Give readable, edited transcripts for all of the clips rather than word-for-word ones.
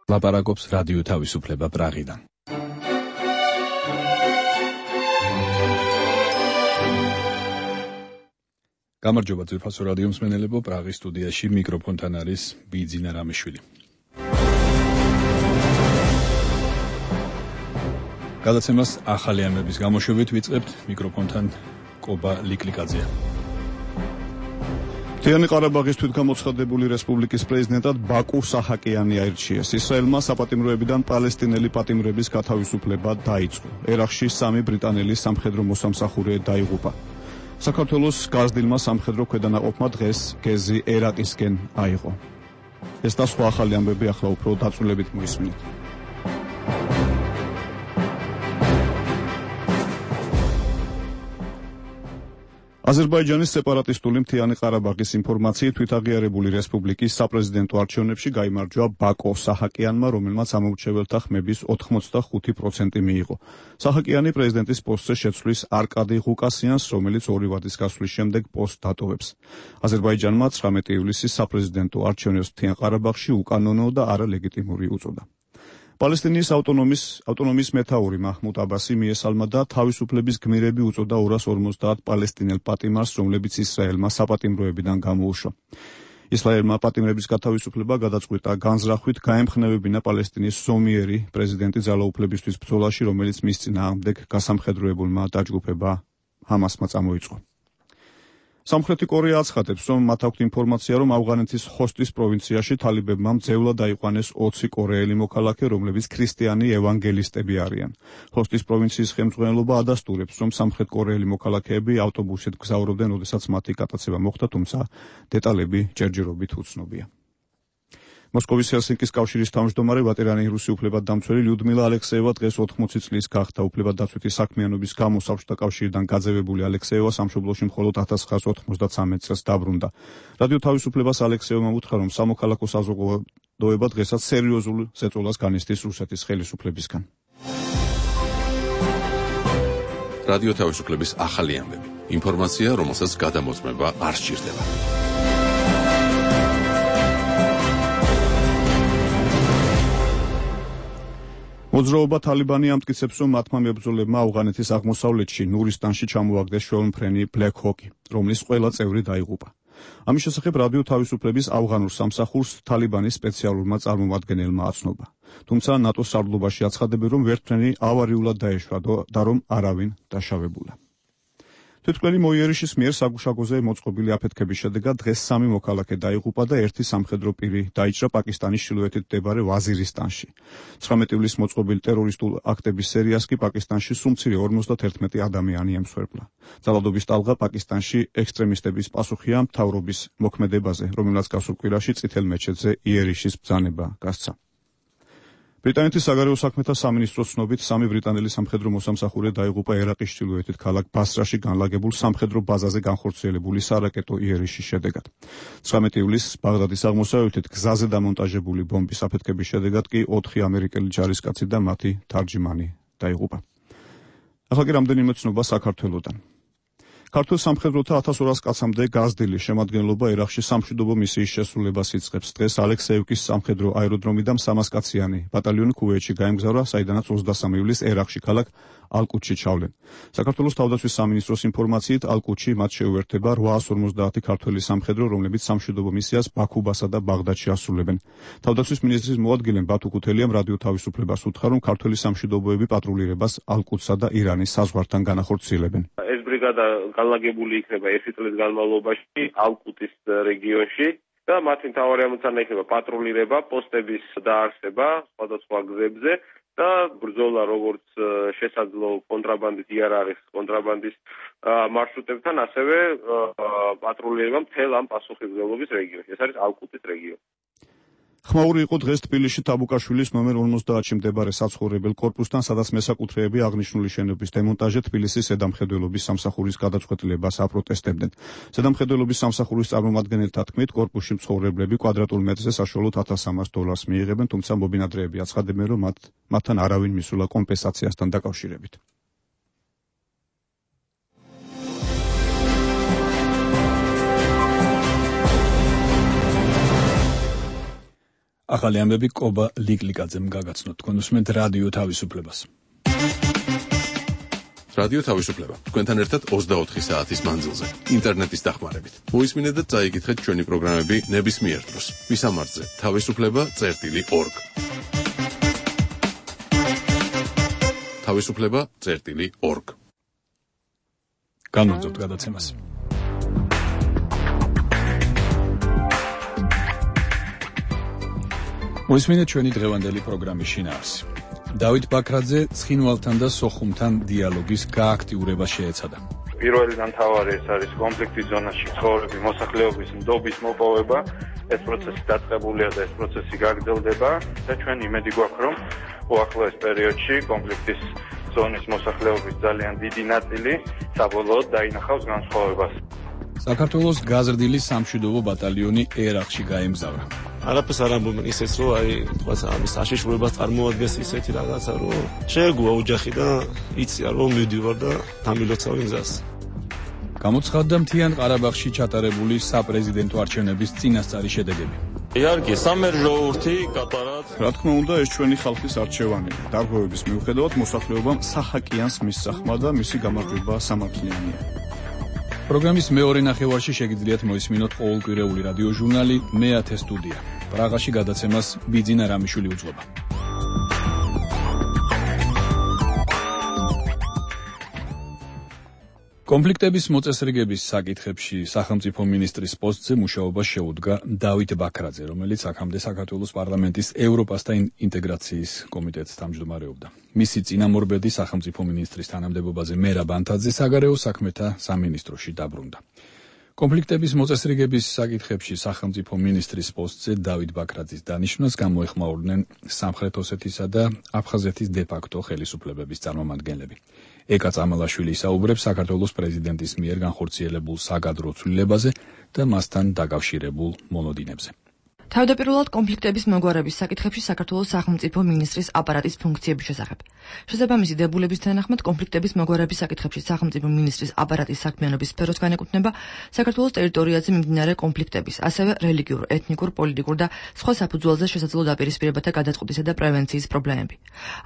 ლაპარაკობს რადიო თავისუფლება პრაღიდან. გამარჯობა ძვირფასო რადიო მსმენელებო, პრაღის სტუდიაში მიკროფონთან არის ბიძინა რამიშვილი. გადაცემას ახალი ამბების გამოშვებით ვიწყებთ, მიკროფონთან კობა ლიკლიკაძეა. მთიანი ყარაბაღის თვითგამოცხადებული რესპუბლიკის პრეზიდენტად ბაკუ საჰაკიანი აირჩიეს. ისრაელმა საპატიმროებიდან პალესტინელი პატიმრების გათავისუფლება დაიწყო. ერაყში 3 ბრიტანელი სამხედრო მოსამსახურე დაიღუპა. საქართველოს გაზრდილმა სამხედრო ქვედანაყოფმა დღეს გეზი ერაყისკენ აიღო. ეს და სხვა ახალი ამბები ახლა უფრო დაწვრილებით მოისმინეთ. აზერბაიჯანის სეპარატისტული მთიანი ყარაბაღის ინფორმაციით თვითაღიარებული რესპუბლიკის საპრეზიდენტო არჩევნებში გაიმარჯვა ბაკო საჰაკიანმა, რომელმაც ამორჩეველთა ხმების 85% მიიღო. საჰაკიანი პრეზიდენტის პოსტზე შეცვლის არკადი ღუკასიანს, რომელიც 2 ვადის გასვლის შემდეგ პოსტს დატოვებს. აზერბაიჯანმა 19 ივლისის საპრეზიდენტო არჩევნებს მთიან ყარაბაღში უკანონო და არალეგიტიმური უწოდა. პალესტინის ავტონომიის მეთაური მაჰმუდ აბასი მიესალმა და თავისუფლების გმირები უწოდა 250 პალესტინელ პატიმარს, რომლებიც ისრაელმა საპატიმროებიდან გამოუშვა. ისრაელმა პატიმრების გათავისუფლება გადაწყვიტა განზრახვით გაემხნევებინა პალესტინის ზომიერი პრეზიდენტი ძალაუფლებისთვის ბრძოლაში, რომელიც მის წინააღმდეგ გასამხედროებულმა დაჯგუფება ჰამასმა წამოიწყო. სამხრეთი კორეა აცხადებს, რომ მათ აქვთ ინფორმაცია, რომ ავღანეთის ხოსტის პროვინციაში თალიბებმა მძევლად აიყვანეს 20 კორეელი მოქალაქე, რომლებიც ქრისტიანი ევანგელისტები არიან. ხოსტის პროვინციის ხელმძღვანელობა ადასტურებს, რომ სამხრეთ კორეელი მოქალაქეები ავტობუსით გზავრობდნენ, როდესაც მათი გატაცება მოხდა, თუმცა დეტალები ჯერჯერობით უცნობია. მოსკოვის ჰელსინკის კავშირის თავმჯდომარე ვატერანი რუსი უფლებადდამცველი ლიუდმილა ალექსეევა დღეს 80 წლის გახდა. უფლებადდაცვითი საქმიანობის გამო საბჭოთა კავშირიდან გაძევებული ალექსეევა სამშობლოში მხოლოდ 1993 წელს დაბრუნდა. რადიო თავისუფლებას ალექსეევმა უთხრა, რომ სამოქალაქო საზოგადოება დღესაც სერიოზულ ზეწოლას განიცდის რუსეთის ხელისუფლებისგან. რადიო თავისუფლების ახალი ამბები. ინფორმაცია, რომელსაც გადამოწმება არ სჭირდება. მოძრაობა თალიბანი ამტკიცებს, რომ მათმა მებრძოლებმა ავღანეთის აღმოსავლეთში ნურისტანში ჩამოაგდეს შვეულმფრენი ბლეკ ჰოკი, რომლის ყველა წევრი დაიღუპა. ამის შესახებ რადიო თავისუფლების ავღანურ სამსახურს თალიბანის სპეციალურმა წარმომადგენელმა აცნობა. თუმცა ნატოს სარდლობაში აცხადებენ, რომ ვერტმფრენი ავარიულად დაეშვა და რომ არავინ დაშავებულა. თვითმკვლელი მოიერიშის მიერ საგუშაგოზე მოწყობილი აფეთქების შედეგად დღეს 3 მოქალაქე დაიღუპა და 1 სამხედრო პირი დაიჭრა პაკისტანის ჩრდილოეთით მდებარე ვაზირისტანში. 19 ივლისს მოწყობილი ტერორისტულ აქტების სერიას კი პაკისტანში სულ მცირე 51 ადამიანი ემსხვერპლა. ძალადობის ტალღა პაკისტანში ექსტრემისტების პასუხია მთავრობის მოქმედებაზე, რომელსაც გასულ კვირაში წითელ მეჩეთზე იერიშის ბრძანება გასცა. ბრიტანეთის საგარეო საქმეთა სამინისტროს ცნობით 3 ბრიტანელი სამხედრო მოსამსახურე დაიღუპა ერაყის ჩრდილოეთით ქალაქ ბასრაში განლაგებულ სამხედრო ბაზაზე განხორციელებული სარაკეტო იერიშის შედეგად. 19 ივლისს ბაღდადის აღმოსავლეთით გზაზე დამონტაჟებული ბომბის აფეთქების შედეგად კი 4 ამერიკელი ჯარისკაცი და მათი თარჯიმანი დაიღუპა. ახლა კი რამდენიმე ცნობა საქართველოდან. ქართულ სამხედროთა 1200 კაცამდე გაზრდილი შემადგენლობა ერაყში სამშვიდობო მისიის შესრულებას იწყებს. დღეს ალექსეევკის სამხედრო აეროდრომიდან 300 კაციანი ბატალიონი ქუვეითში გაემგზავრა, საიდანაც 23 ივლისს ერაყში ქალაქ ალკუტში ჩავლენ. საქართველოს თავდაცვის სამინისტროს ინფორმაციით ალკუტში მათ შეუერთება 850 ქართველი სამხედრო, რომლებიც სამშვიდობო მისიას ბაქუბასა და ბაღდადში ასრულებენ. თავდაცვის მინისტრის მოადგილე ბათუ ქუთელიამ რადიო თავისუფლებას უთხრა, რომ ქართველი სამშვიდობოები პატრულირებას ალკუტსა და ირანის საზღვართან განახორციელებენ. ეს ბრიგადა განლაგებული იქნება 1 წლის განმავლობაში ალკუტის რეგიონში და მათი მთავარი ამოცანა იქნება პატრულირება, პოსტების დაარსება სხვადასხვა გზებზე და ბრძოლა როგორც შესაძლო კონტრაბანდით იარაღის კონტრაბანდის მარშრუტებთან, ასევე პატრულირება მთელ ამ პასუხისმგებლობის რეგიონში. ეს არის ალკუტის რეგიონი. ხმაური იყო დღეს თბილისში თაბუკაშვილის ნომერ 50-ში მდებარე საცხოვრებელ კორპუსთან, სადაც მესაკუთრეები აღნიშნული შენობის დემონტაჟზე თბილისის ზედამხედველობის სამსახურის გადაწყვეტილებას აპროტესტებდნენ. ზედამხედველობის სამსახურის წარმომადგენელთა თქმით, კორპუსში მცხოვრებლები კვადრატულ მეტრზე საშუალოდ $1300 მიიღებენ, თუმცა მობინადრეები აცხადებენ, რომ მათთან არავინ მისულა კომპენსაციასთან დაკავშირებით. ახალი ამბები კობა ლიკლიკაძემ გაგაცნოთ. თქვენ უსმენთ რადიო თავისუფლებას. რადიო თავისუფლება. თქვენთან ერთად 24 საათის მანძილზე, ინტერნეტის დახმარებით. მოისმინეთ და წაიკითხეთ ჩვენი პროგრამები ნებისმიერ დროს. მისამართზე თავისუფლება.org. თავისუფლება.org. განვაგრძობთ გადაცემას. მოისმინეთ ჩვენი დღევანდელი პროგრამის შინაარსი. დავით ბაქრაძე ცხინვალთან და სოხუმთან დიალოგის გააქტიურება შეეცადა. პირველი და მთავარი ეს არის კონფლიქტის ზონაში ცხოვრები მოსახლეობის ნდობის მოპოვება. ეს პროცესი დაწყებულია და ეს პროცესი გაგრძელდება და ჩვენ იმედი გვაქვს, რომ უახლოეს პერიოდში კონფლიქტის ზონის მოსახლეობის ძალიან დიდი ნაწილი საბოლოოდ დაინახავს განსხვავებას. საქართველოს გაზრდილი სამშვიდობო ბატალიონი ერაყში გაემგზავრა. არაფერს არ ამბობენ ისეც, რომ თქვათ ამის აშიშვრებას წარმოადგენს ისეთი რაღაცა, რომ შეეგუა ოჯახი და იცია, რომ მივდივარ და დამილოცავი გზას. გამოცხადდა მთიან ყარაბაღში ჩატარებული საპრეზიდენტო არჩევნების წინასწარი შედეგები. იარგი სამერძოურთი კატარად. რა თქმა უნდა, ეს ჩვენი ხალხის არჩევანია. დარღვევების მიუხედავად მოსახლეობამ სახაკიანს მისსახმა და მისი გამარჯვება სამართლიანია. პროგრამის მეორე ნახევარში შეგიძლიათ მოისმინოთ ყოველკვირეული რადიო ჟურნალი მე-10 სტუდია. პრაღაში გადაცემას ბიძინა რამიშვილი უძღვება. კონფლიქტების მოწესრიგების საკითხებში სახელმწიფო მინისტრის პოსტზე მუშაობას შეუდგა დავით ბაქრაძე, რომელიც აქამდე საქართველოს პარლამენტის ევროპასთან ინტეგრაციის კომიტეტს თავმჯდომარეობდა. მისი წინამორბედი სახელმწიფო მინისტრის თანამდებობაზე მერაბ ანთაძე საგარეო საქმეთა სამინისტროში დაბრუნდა. კონფლიქტების მოწესრიგების საკითხებში სახელმწიფო მინისტრის პოსტზე დავით ბაქრაძის დანიშვნას გამოეხმაურნენ სამხრეთ ოსეთისა და აფხაზეთის დე-ფაქტო ხელისუფლებების წარმომადგენლები. ეკა წამალაშვილი ისაუბრებს საქართველოს პრეზიდენტის მიერ განხორციელებულ საგადრო ცვლილებაზე და მასთან დაკავშირებულ მონოდინებზე. თავდაპირველად კონფლიქტების მოგვარების საკითხებში საქართველოს სახელმწიფო მინისტრის აპარატის ფუნქციების შესახებ. შესაბამისი დებულების თანახმად კონფლიქტების მოგვარების საკითხებში სახელმწიფო მინისტრის აპარატის საქმიანობის სფეროს განეკუთვნება საქართველოს ტერიტორიაზე მიმდინარე კონფლიქტების, ასევე რელიგიურ, ეთნიკურ, პოლიტიკურ და სხვა საფუძველზე შესაძლო დაპირისპირებათა გადაწყვეტისა და პრევენციის პრობლემები.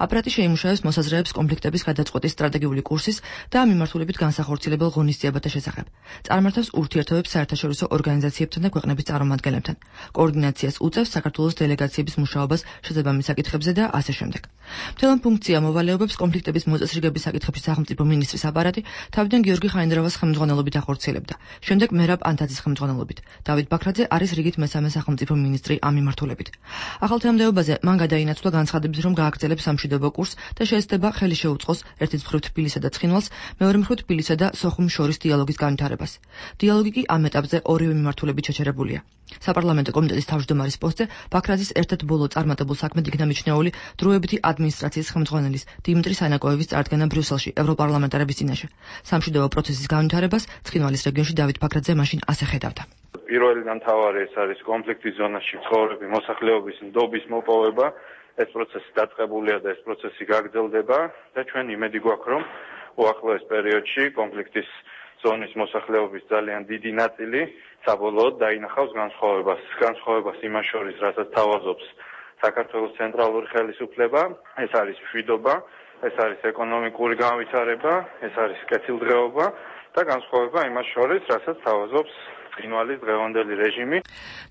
აპარატი შეიმუშავებს მოსაზრეებს კონფლიქტების გადაწყვეტის სტრატეგიული კურსის და ამ მიმართულებით განსახორციელებელ ღონისძიებათა შესახებ. წარმართავს ურთიერთობებს საერთაშორისო ორგანიზაციებთან და ქვეყნების წარმომადგენლებთან. კოორდინაციას უწევს საქართველოს დელეგაციების მუშაობას შესაბამის საკითხებზე და ასე შემდეგ. მთელ ამ ფუნქცია მოვალეობებს კონფლიქტების მოწესრიგების საკითხებში სახელმწიფო მინისტრის აპარატი თავიდან გიორგი ხაინდრავას ხელმძღვანელობით ახორციელებდა. შემდეგ მერაბ ანთაძის ხელმძღვანელობით. დავით ბაქრაძე არის რიგით მესამე სახელმწიფო მინისტრი ამ მიმართულებით. ახალ თანამდებობაზე მან გადაინაცვლა განცხადების, რომ გააგრძელებს სამშვიდობო კურსს და შეეცდება ხელი შეუწყოს ერთის მხრივ თბილისსა და ცხინვალს, მეორე მხრივ თბილისსა და სოხუმს შორის დიალოგის განვითარებას. დიალოგი კი ამ ეტაპზე ორივე მიმართულებით შეჩერებულია. საპარლამენტო კომიტეტის თავმჯდომარის პოსტზე ბაქრაძის ერთ-ერთ ბოლო წარმატებულ საქმედ იქნა მიჩნეული დროებითი ადმინისტრაციის ხელმძღვანელის დიმიტრი სანაკოევის წარდგენა ბრიუსელში ევროპარლამენტარების წინაშე. სამშვიდობო პროცესის განვითარებას ცხინვალის რეგიონში დავით ბაქრაძე მაშინ ასე ხედავდა. პირველი და მთავარი ეს არის კონფლიქტის ზონაში ცხოვრები მოსახლეობის ნდობის მოპოვება. ეს პროცესი დაწყებულია და ეს პროცესი გაგრძელდება და ჩვენ იმედი გვაქვს, რომ უახლოეს პერიოდში კონფლიქტის ზონის მოსახლეობის ძალიან დიდი ნაწილი საბოლოოდ დაინახავს განსხვავებას იმას შორის, რასაც თავაზობს საქართველოს ცენტრალური ხელისუფლება, ეს არის მშვიდობა, ეს არის ეკონომიკური განვითარება, ეს არის კეთილდღეობა და განსხვავება იმას შორის, რასაც თავაზობს ცხინვალის დღევანდელი რეჟიმი.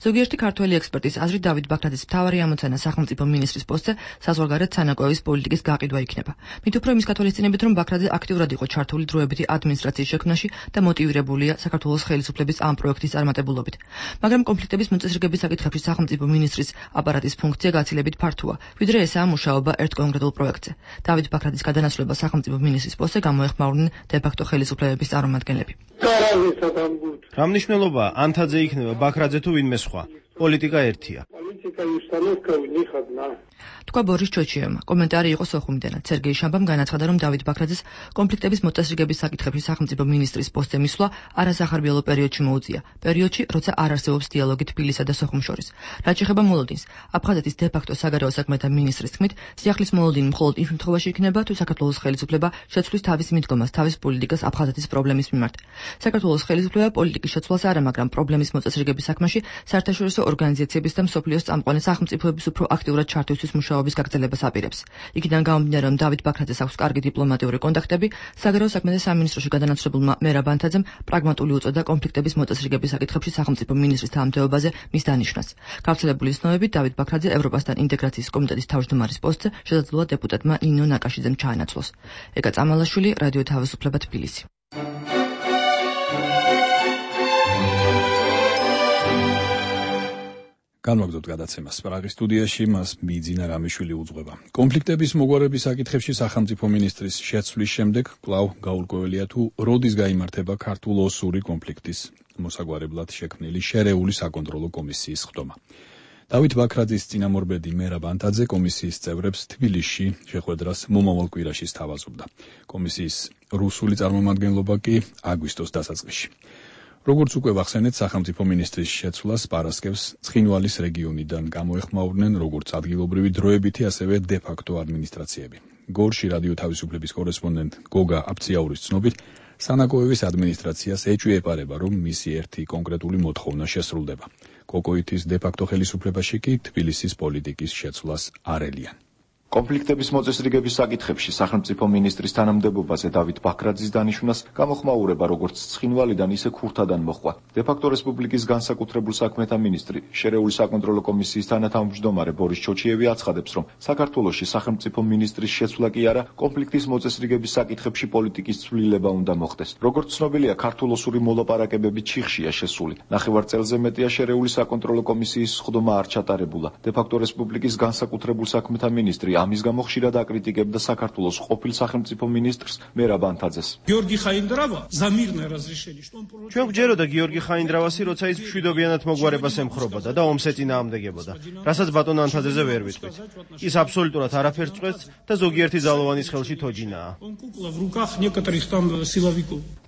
ზოგიერთი ქართველი ექსპერტის აზრით დავით ბაქრაძის მთავარი ამოცანა სახელმწიფო მინისტრის პოსტზე საზღვარგარეთ სანაკოევის პოლიტიკის გაყიდვა იქნება. მით უფრო იმის გათვალისწინებით, რომ ბაქრაძე აქტიურად იყო ჩართული დროებითი ადმინისტრაციის შექმნაში და მოტივირებულია საქართველოს ხელისუფლების ამ პროექტის წარმატებულობით. მაგრამ კონფლიქტების მოწესრიგების საკითხებში სახელმწიფო მინისტრის აპარატის ფუნქცია გაცილებით ფართოა, ვიდრე ესაა მუშაობა ერთ კონკრეტულ პროექტზე. დავით ბაქრაძის გადანაცვლება სახელმწიფო მინისტრის პოსტზე გამოეხმაურნენ დე-ფაქტო ხელისუფლებების წარმომადგენლები. რა მნიშვნელობა ანთაძე იქნება ბაქრაძე თუ ვინმე სხვა? პოლიტიკა ერთია. თქვა ბორის ჩოჩიევმა. კომენტარი იყო სოხუმიდანაც. სერგეი შამბამ განაცხადა, რომ დავით ბაქრაძეს კონფლიქტების მოწესრიგების საკითხებში სახელმწიფო მინისტრის პოსტზე მისვლა არასახარბიელო პერიოდში მოუწია. პერიოდში, როცა არ არსებობს დიალოგი თბილისსა და სოხუმს შორის. რაც შეეხება მოლოდინს, აფხაზეთის დე-ფაქტო საგარეო საქმეთა მინისტრის თქმით, სიახლის მოლოდინი მხოლოდ იმ შემთხვევაში იქნება, თუ საქართველოს ხელისუფლება შეცვლის თავის მიდგომას, თავის პოლიტიკას აფხაზეთის პრობლემის მიმართ. საქართველოს ხელისუფლება პოლიტიკის შეცვლას არა, მაგრამ პრობლემის მოწესრიგების საქმეში საერთაშორისო ორგანიზაციების და მსოფლიოს წამყვანი სახელმწიფოების უფრო აქტიურად ჩართვისთვის მუშაობის გაგრძელებას აპირებს. იქიდან გამომდინარე, რომ დავით ბაქრაძეს აქვს კარგი დიპლომატიური კონტაქტები, საგარეო საქმეთა სამინისტროში გადანაცვლებულმა მერაბ ანთაძემ პრაგმატული უწოდა კონფლიქტების მოწესრიგების საკითხებში სახელმწიფო მინისტრის თანამდებობაზე მის დანიშვნას. გავრცელებული ცნობებით, დავით ბაქრაძე ევროპასთან ინტეგრაციის კომიტეტის თავმჯდომარის პოსტზე შესაძლოა დეპუტატმა ნინო ნაკაშიძემ ჩაანაცვლოს. ეკა წამალაშვილი, რადიო თავისუფლება, თბილისი. განვაგრძობთ გადაცემას. პრაღის სტუდიაში მას მიძინა რამიშვილი უძღვება. კონფლიქტების მოგვარების საკითხებში სახელმწიფო მინისტრის შეცვლის შემდეგ კვლავ გაურკვეველია თუ როდის გაიმართება ქართულ-ოსური კონფლიქტის მოსაგვარებლად შექმნილი შერეული საკონტროლო კომისიის ხდომა. დავით ბაქრაძის წინამორბედი მერაბ ანთაძე კომისიის წევრებს თბილისში შეხვედრას მომავალ კვირაში სთავაზობდა. კომისიის რუსული წარმომადგენლობა კი აგვისტოს დასაწყისში. როგორც უკვე ვახსენეთ, სახელმწიფო მინისტრის შეცვლას პარასკევს ცხინვალის რეგიონიდან გამოეხმაურნენ როგორც ადგილობრივი დროებითი, ასევე დე-ფაქტო ადმინისტრაციები. გორში რადიო თავისუფლების კორესპონდენტ გოგა აფციაურის ცნობით, სანაკოევის ადმინისტრაციას ეჭვი ეპარება, რომ მისი ერთი კონკრეტული მოთხოვნა შესრულდება. კოკოითის დე-ფაქტო ხელისუფლებაში კი თბილისის პოლიტიკის შეცვლას არ ელიან. კონფლიქტების მოწესრიგების საკითხებში სახელმწიფო მინისტრის თანამდებობაზე დავით ბაქრაძის დანიშვნას გამოხმაურება როგორც ცხინვალიდან, ისე ქურთადან მოჰყვა. დე-ფაქტო რესპუბლიკის განსაკუთრებულ საქმეთა მინისტრი, შერეული საკონტროლო კომისიის თანათავმჯდომარე ბორის ჩოჩიევი აცხადებს, რომ საქართველოში სახელმწიფო მინისტრის შეცვლა კი არა, კონფლიქტის მოწესრიგების საკითხებში პოლიტიკის ცვლილება უნდა მოხდეს. როგორც ცნობილია, ქართულ-ოსური მოლაპარაკებები ჩიხშია შესული. ნახევარ წელზე მეტია შერეული საკონტროლო კომისიის სხდომა არ ჩატარებულა. დე-ფაქტო რესპუბლიკის განსაკუთრებულ საქმეთა მინისტრი ამის გამო ხშირად აკრიტიკებდა საქართველოს ყოფილ სახელმწიფო მინისტრს მერაბ ანთაძეს. ჩვენ გვჯეროდა გიორგი ხაინდრავასი, როცა ის მშვიდობიანად მოგვარებას ემხრობოდა და ომს ეწინააღმდეგებოდა, რასაც ბატონ ანთაძეზე ვერ ვიტყვით. ის აბსოლუტურად არაფერს წყვეტს და ზოგიერთი ძალოვანის ხელში თოჯინაა.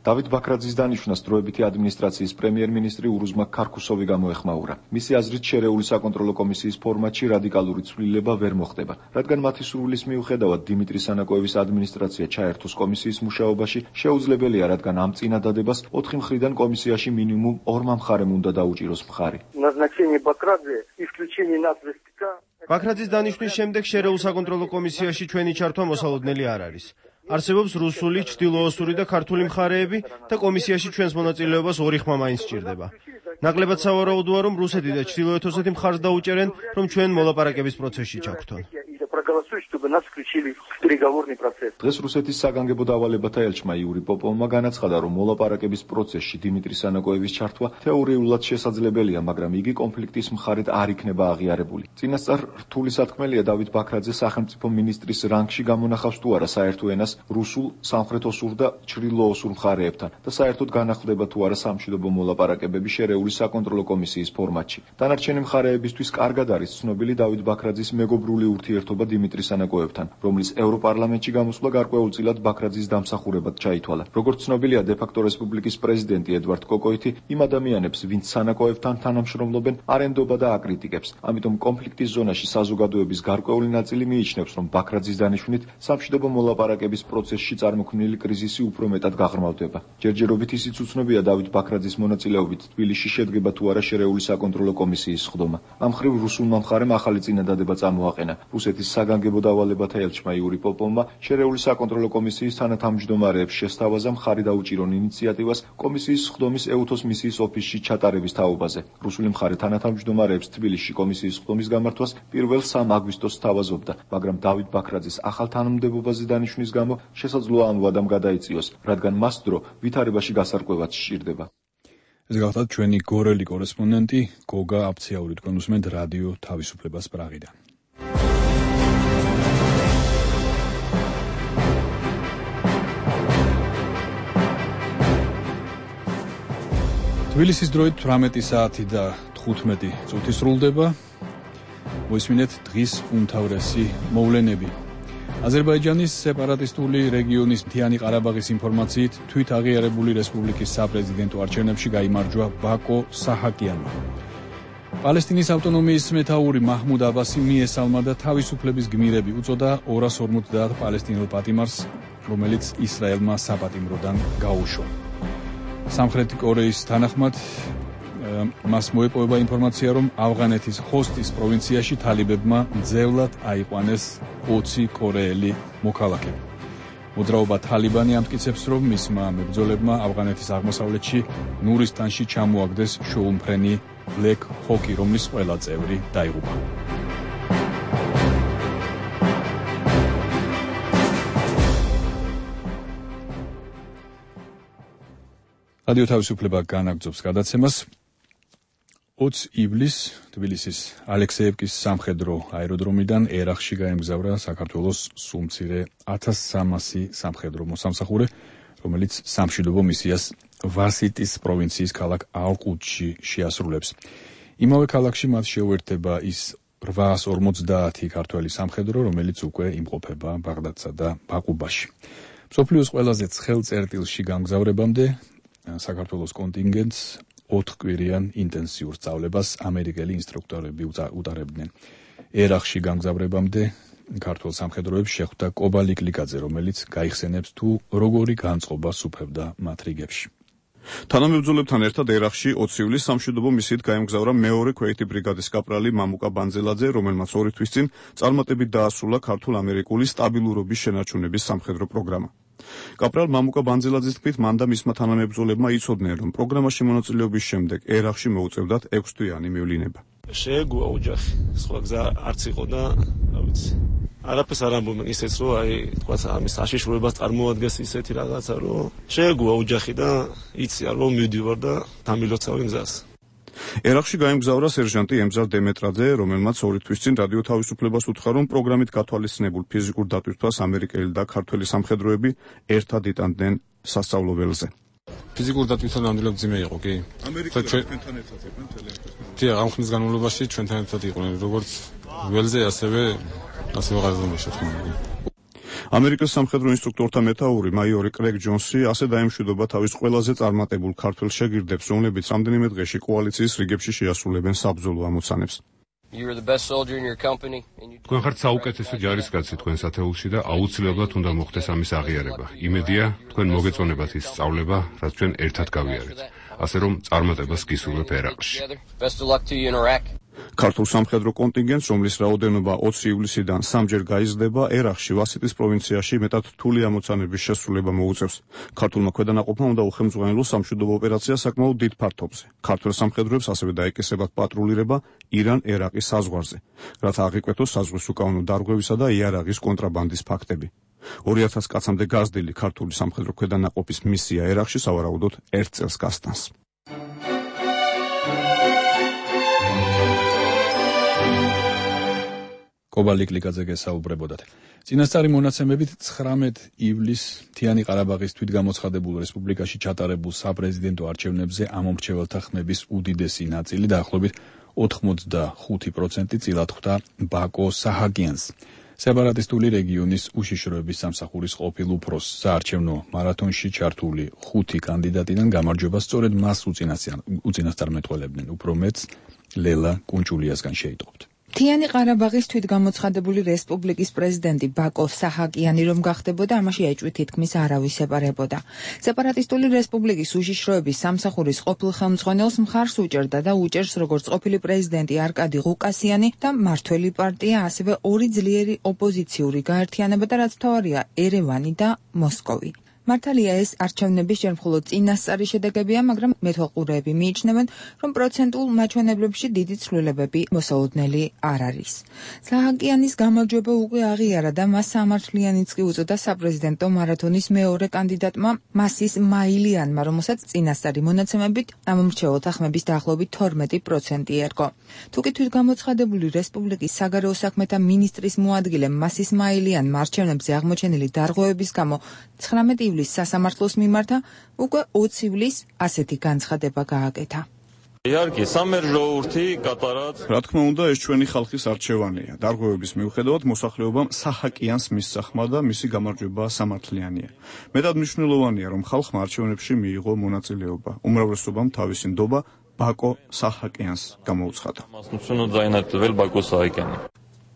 დავით ბაქრაძის დანიშვნას დროებითი ადმინისტრაციის პრემიერ-მინისტრი ურუზმა ქარქუსოვი გამოეხმაურა. მისი აზრით, შერეული საკონტროლო კომისიის ფორმატში რადიკალური ცვლილება ვერ მოხდება, რადგან მათი სურვილის მიუხედავად დიმიტრი სანაკოევის ადმინისტრაცია ჩაერთოს კომისიის მუშაობაში, შეუძლებელია, რადგან ამ წინადადებას 4 მხრიდან კომისიაში მინიმუმ 2 მხარემ უნდა დაუჭიროს მხარი. ბაქრაძის დანიშვნის შემდეგ შერეულ საკონტროლო კომისიაში ჩვენი ჩართვა მოსალოდნელი არ არის. არსებობს რუსული, ჩრდილოოსური და ქართული მხარეები და კომისიაში ჩვენს მონაწილეობას 2 ხმა მაინც სჭირდება. ნაკლებად სავარაუდოა, რომ რუსეთი და ჩრდილოეთ ოსეთი მხარს დაუჭერენ, რომ ჩვენ მოლაპარაკების პროცესში ჩაგვრთონ. დღეს რუსეთის საგანგებო დავალებათა ელჩმა იური პოპოვმა განაცხადა, რომ მოლაპარაკების პროცესში დიმიტრი სანაკოევის ჩართვა თეორიულად შესაძლებელია, მაგრამ იგი კონფლიქტის მხარედ არ იქნება აღიარებული. წინასწარ რთული სათქმელია დავით ბაქრაძე სახელმწიფო მინისტრის რანგში გამონახავს თუ არა საერთო ენას რუსულ, სამხრეთ-ოსურ და ჩრდილო-ოსურ მხარეებთან და საერთოდ განახლდება თუ არა სამშვიდობო მოლაპარაკებები შერეული საკონტროლო კომისიის ფორმატში. დანარჩენი მხარეებისთვის კარგად არის ცნობილი დავით ბაქრაძის მეგობრული ურთიერთობა დიმიტრი სანაკოევთან, რომლის ევროპარლამენტში გამოსვლა გარკვეულწილად ბაქრაძის დამსახურებად ჩაითვალა. როგორც ცნობილია, დე-ფაქტო რესპუბლიკის პრეზიდენტი ედვარდ კოკოითი იმ ადამიანებს, ვინც სანაკოევთან თანამშრომლობენ, არ ენდობა და აკრიტიკებს. ამიტომ კონფლიქტის ზონაში საზოგადოების გარკვეული ნაწილი მიიჩნევს, რომ ბაქრაძის დანიშვნით სამშვიდობო მოლაპარაკების პროცესში წარმოქმნილი კრიზისი უფრო მეტად გაღრმავდება. ჯერჯერობით ისიც უცნობია დავით ბაქრაძის მონაწილეობით თბილისში შედგება თუ არა შერეული საკონტროლო კომისიის სხდომა. ამ მხრივ რუსულმა მხარემ ახალი წინადადება წამოაყენა. რუსეთის საგანგებო დავალებათა ელჩმა იური პოპოვმა შერეული საკონტროლო კომისიის თანათავმჯდომარეებს შესთავაზა მხარი დაუჭირონ ინიციატივას კომისიის სხდომის ეუთოს მისიის ოფისში ჩატარების თაობაზე. რუსული მხარე თანათავმჯდომარეებს თბილისში კომისიის სხდომის გამართვას 1 აგვისტოს სთავაზობდა, მაგრამ დავით ბაქრაძის ახალ თანამდებობაზე დანიშვნის გამო შესაძლოა ამ ვადამ გადაიწიოს, რადგან მას დრო ვითარებაში გასარკვევად სჭირდება. ეს გახლავთ ჩვენი გორელი კორესპონდენტი გოგა აფციაური, თქვენ უსმენთ რადიო თავისუფლებას პრაღიდან. თბილისის დროით 18 საათი და 15 წუთი სრულდება. მოისმინეთ დღის უმთავრესი მოვლენები. აზერბაიჯანის სეპარატისტული რეგიონის მთიანი ყარაბაღის ინფორმაციით, თვით აღიარებული რესპუბლიკის საპრეზიდენტო არჩევნებში გაიმარჯვა ბაკო საჰაკიანმა. პალესტინის ავტონომიის მეთაური მაჰმუდ აბასი მიესალმა და თავისუფლების გმირები უწოდა 250 პალესტინელ პატიმარს, რომელიც ისრაელმა საპატიმროდან გაუშვა. სამხრეთი კორეის თანახმად მას მოეპოვება ინფორმაცია, რომ ავღანეთის ხოსტის პროვინციაში თალიბებმა ძევლად აიყვანეს 20 კორეელი მოქალაქე. მოძრაობა თალიბანი ამტკიცებს, რომ მისმა მებრძოლებმა ავღანეთის აღმოსავლეთში ნურისტანში ჩამოაგდეს შოუმფრენი ბლეკ ჰოკი, რომლის ყველა წევრი დაიღუპა. რადიო თავისუფლება განაგრძობს გადაცემას. 20 ივლისს თბილისის ალექსეევკის სამხედრო აეროდრომიდან ერახში გაემგზავრა საქართველოს სუმცირე 1300 სამხედრო მოსამსახურე, რომელიც სამშვიდობო მისიას ვასიტის პროვინციის ქალაქ ალყუთში შეასრულებს. იმავე ქალაქში მათ შეუერთდება ის 850 ქართველი სამხედრო, რომელიც უკვე იმყოფება ბაღდადსა და ბაყუბაში. მსოფლიოს ყველაზე ცხელ წერტილში გამგზავრებამდე საქართველოს კონტინგენტს 4 კვირიან ინტენსიურ სწავლებას ამერიკელი ინსტრუქტორები უტარებდნენ. ერახში გამგზავრებამდე ქართულ სამხედროებს შეხვდა კობა ლიკლიკაძე, რომელიც გაიხსენებს თუ როგორი განწყობა სუფევდა მათ რიგებში. თანამებრძოლებთან ერთად ერახში 20 ივლისს სამშვიდობო მისიით გაემგზავრა მეორე ქვეითი ბრიგადის კაპრალი მამუკა ბანძელაძე, რომელმაც 2 თვის წინ წარმატებით დაასრულა ქართულ-ამერიკული სტაბილურობის შენარჩუნების სამხედრო პროგრამა. კაპრალ მამუკა ბანძელაძის თქმით, მან და მისმა თანამებრძოლებმა იცოდნენ, რომ პროგრამაში მონაწილეობის შემდეგ ერახში მოუწევდათ 6 თვიანი მივლინება. შეეგუა ოჯახი, სხვა გზა არც იყო და რა ვიცი. არაფერს არ ამბობენ ისეც, რომ თქვა ამის საშიშროებას წარმოადგენს ისეთი რაღაცა, რომ შეეგუა ოჯახი და იცია, რომ მივდივარ და დამილოცავენ გზას. ერახში გაემგზავრა სერჟანტი ემზარ დემეტრაძე, რომელმაც 2 თვის წინ რადიო თავისუფლებას უთხრა, რომ პროგრამით გათვალისწინებულ ფიზიკურ დატვირთვას ამერიკელი და ქართველი სამხედროები ერთად იტანდნენ სასწავლებელზე. ფიზიკური დატვირთვა ნამდვილად ძიმე იყო, კი? ამერიკელთან ერთად იყვნენ თელეექროსთან. დიახ, ამ ხნის განმავლობაში ჩვენთან ერთად იყვნენ, როგორც ველზე, ასევე ღაზრომაში თქმა უნდა. ამერიკის სამხედრო ინსტრუქტორთა მეთაური მაიორი კრეგ ჯონსი ასე დაემშვიდობა თავის ყველაზე წარმატებულ ქართველ შეგირდებს, რომლებიც რამდენიმე დღეში კოალიციის რიგებში შეასრულებენ საბრძოლო ამოცანებს. თქვენ ხართ საუკეთესო ჯარისკაცი თქვენ სათეულში და აუცილებლად უნდა მოხდეს ამის აღიარება. იმედია, თქვენ მოგეწონებათ ის სწავლება, რაც ჩვენ ერთად გავიარეთ. ასე რომ წარმატებას გისურვებ ერაყში. ქართულ სამხედრო კონტინგენტს, რომლის რაოდენობა 20 ივლისიდან 3-ჯერ გაიზრდება, ერაყში ვასიტის პროვინციაში მეტად რთული ამოცანების შესრულება მოუწევს. ქართულმა ქვედანაყოფმა უნდა უხელმძღვანელოს სამშვიდობო ოპერაცია საკმაოდ დიდ ფართობზე. ქართველ სამხედროებს ასევე დაეკისრებათ პატრულირება ირან-ერაყის საზღვარზე, რათა აღიკვეთოს საზღვრის უკანონო დარღვევისა და იარაღის კონტრაბანდის ფაქტები. 2000 კაცამდე გაზრდილი ქართული სამხედრო ქვედანაყოფის მისია ერაყში სავარაუდოდ 1 წელს გასტანს. კობა ლიკლიკაძე გესაუბრებოდათ. წინასწარი მონაცემებით 19 ივლისს მთიანი ყარაბაღის თვითგამოცხადებულ რესპუბლიკაში ჩატარებულ საპრეზიდენტო არჩევნებზე ამომრჩეველთა ხმების უდიდესი ნაწილი დაახლოებით 85% წილად ხვდა ბაკო საჰაკიანს, სეპარატისტული რეგიონის უშიშროების სამსახურის ყოფილ უფროსს. საარჩევნო მარათონში ჩართული 5 კანდიდატიდან გამარჯვებას სწორედ მას უწინასწარმეტყველებდნენ. უფრო მეც ლელა კუნჭულიასგან შეიტყობთ. მთიანი ყარაბაღის თვითგამოცხადებული რესპუბლიკის პრეზიდენტი ბაკო საჰაკიანი რომ გახდებოდა, ამაში ეჭვი თითქმის არავის ეპარებოდა. სეპარატისტული რესპუბლიკის უშიშროების სამსახურის ყოფილ ხელმძღვანელს მხარს უჭერდა და უჭერს როგორც ყოფილი პრეზიდენტი არკადი ღუკასიანი და მართველი პარტია, ასევე 2 ძლიერი ოპოზიციური გაერთიანება და რაც მთავარია, ერევანი და მოსკოვი. მართალია ეს არჩევნების ჯერ მხოლოდ წინასწარი შედეგებია, მაგრამ მეთვალყურეები მიიჩნევენ, რომ პროცენტულ მაჩვენებლებში დიდი ცვლილებები მოსალოდნელი არ არის. საჰაკიანის გამარჯვება უკვე აღიარა და მას სამართლიანიც კი უწოდა საპრეზიდენტო მარათონის მეორე კანდიდატმა მასის მაილიანმა, რომელსაც წინასწარი მონაცემებით ამომრჩეველთა ხმების დაახლოებით 12% ერგო. თუკი თვითგამოცხადებული რესპუბლიკის საგარეო საქმეთა მინისტრის მოადგილე მასის მაილიანმა არჩევნებზე აღმოჩენილი დარღვევების გამო 19 ივლისს სასამართლოს მიმართა, უკვე 20 ივლისს ასეთი განცხადება გააკეთა. რა თქმა უნდა, ეს ჩვენი ხალხის არჩევანია. დარღვევების მიუხედავად მოსახლეობამ საჰაკიანს მისსახმა და მისი გამარჯვება სამართლიანია. მეტად მნიშვნელოვანია, რომ ხალხმა არჩევნებში მიიღო მონაწილეობა. უმრავლესობამ თავისი ნდობა ბაკო საჰაკიანს გამოუცხადა.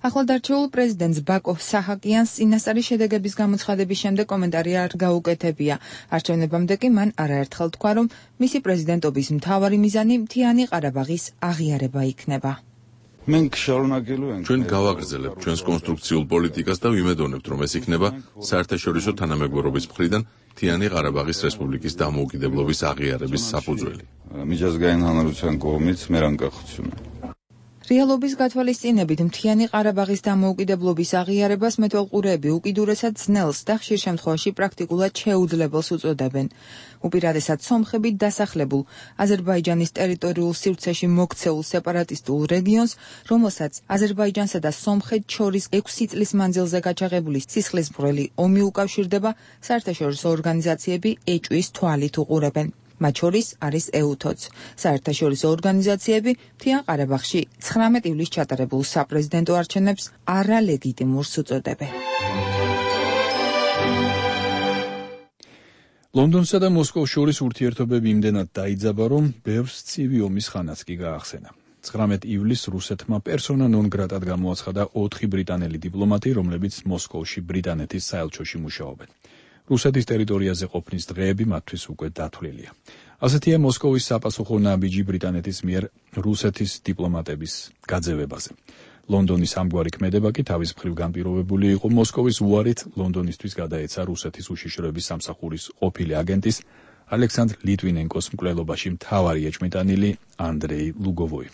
ახლადარჩეულ პრეზიდენტს ბაკო საჰაკიანს წინასწარი შედეგების გამოცხადების შემდეგ კომენტარი არ გაუკეთებია. არჩევნებამდე კი მან არაერთხელ თქვა, რომ მისი პრეზიდენტობის მთავარი მიზანი მთიანი ყარაბაღის აღიარება იქნება. ჩვენ გავაგრძელებთ ჩვენს კონსტრუქციულ პოლიტიკას და ვიმედოვნებთ, რომ ეს იქნება საერთაშორისო თანამეგობრობის მხრიდან მთიანი ყარაბაღის რესპუბლიკის დამოუკიდებლობის აღიარების საფუძველი. რეალობის გათვალისწინებით მთიანი ყარაბაღის დამოუკიდებლობის აღიარებას მეთვალყურეები უკიდურესად ძნელს და ხშირ შემთხვევაში პრაქტიკულად შეუძლებელს უწოდებენ. უპირატესად სომხებით დასახლებულ აზერბაიჯანის ტერიტორიულ სივრცეში მოქცეულ სეპარატისტულ რეგიონს, რომელსაც აზერბაიჯანსა და სომხეთს შორის 6 წლის მანძილზე გაჩაღებული სისხლისმღვრელი ომი უკავშირდება, საერთაშორისო ორგანიზაციები ეჭვის თვალით უყურებენ. მათ შორის არის EUTOC. საერთაშორისო ორგანიზაციები მთიან ყარაბაღში 19 ივლისს ჩატარებულ საპრეზიდენტო არჩევნებს არალეგიტიმურს უწოდებენ. ლონდონსა და მოსკოვს შორის ურთიერთობები იმდენად დაიძაბა, რომ ბევრს ცივი ომის ხანაც კი გაახსენა. 19 ივლისს რუსეთმა პერსონა ნონ გრატად გამოაცხადა 4 ბრიტანელი დიპლომატი, რომლებიც მოსკოვში ბრიტანეთის საელჩოში მუშაობენ. რუსეთის ტერიტორიაზე ყოფნის დღეები მათთვის უკვე დათვლილია. ასეთია მოსკოვის საპასუხო ნაბიჯი ბრიტანეთის მიერ რუსეთის დიპლომატების გაძევებაზე. ლონდონის ამგვარი ქმედება კი თავის მხრივ განპირობებული იყო მოსკოვის უარით ლონდონისთვის გადაეცა რუსეთის უშიშროების სამსახურის ყოფილი აგენტის ალექსანდრ ლიტვინენკოს მკვლელობაში მთავარი ეჭვმიტანილი ანდრეი ლუგოვოი.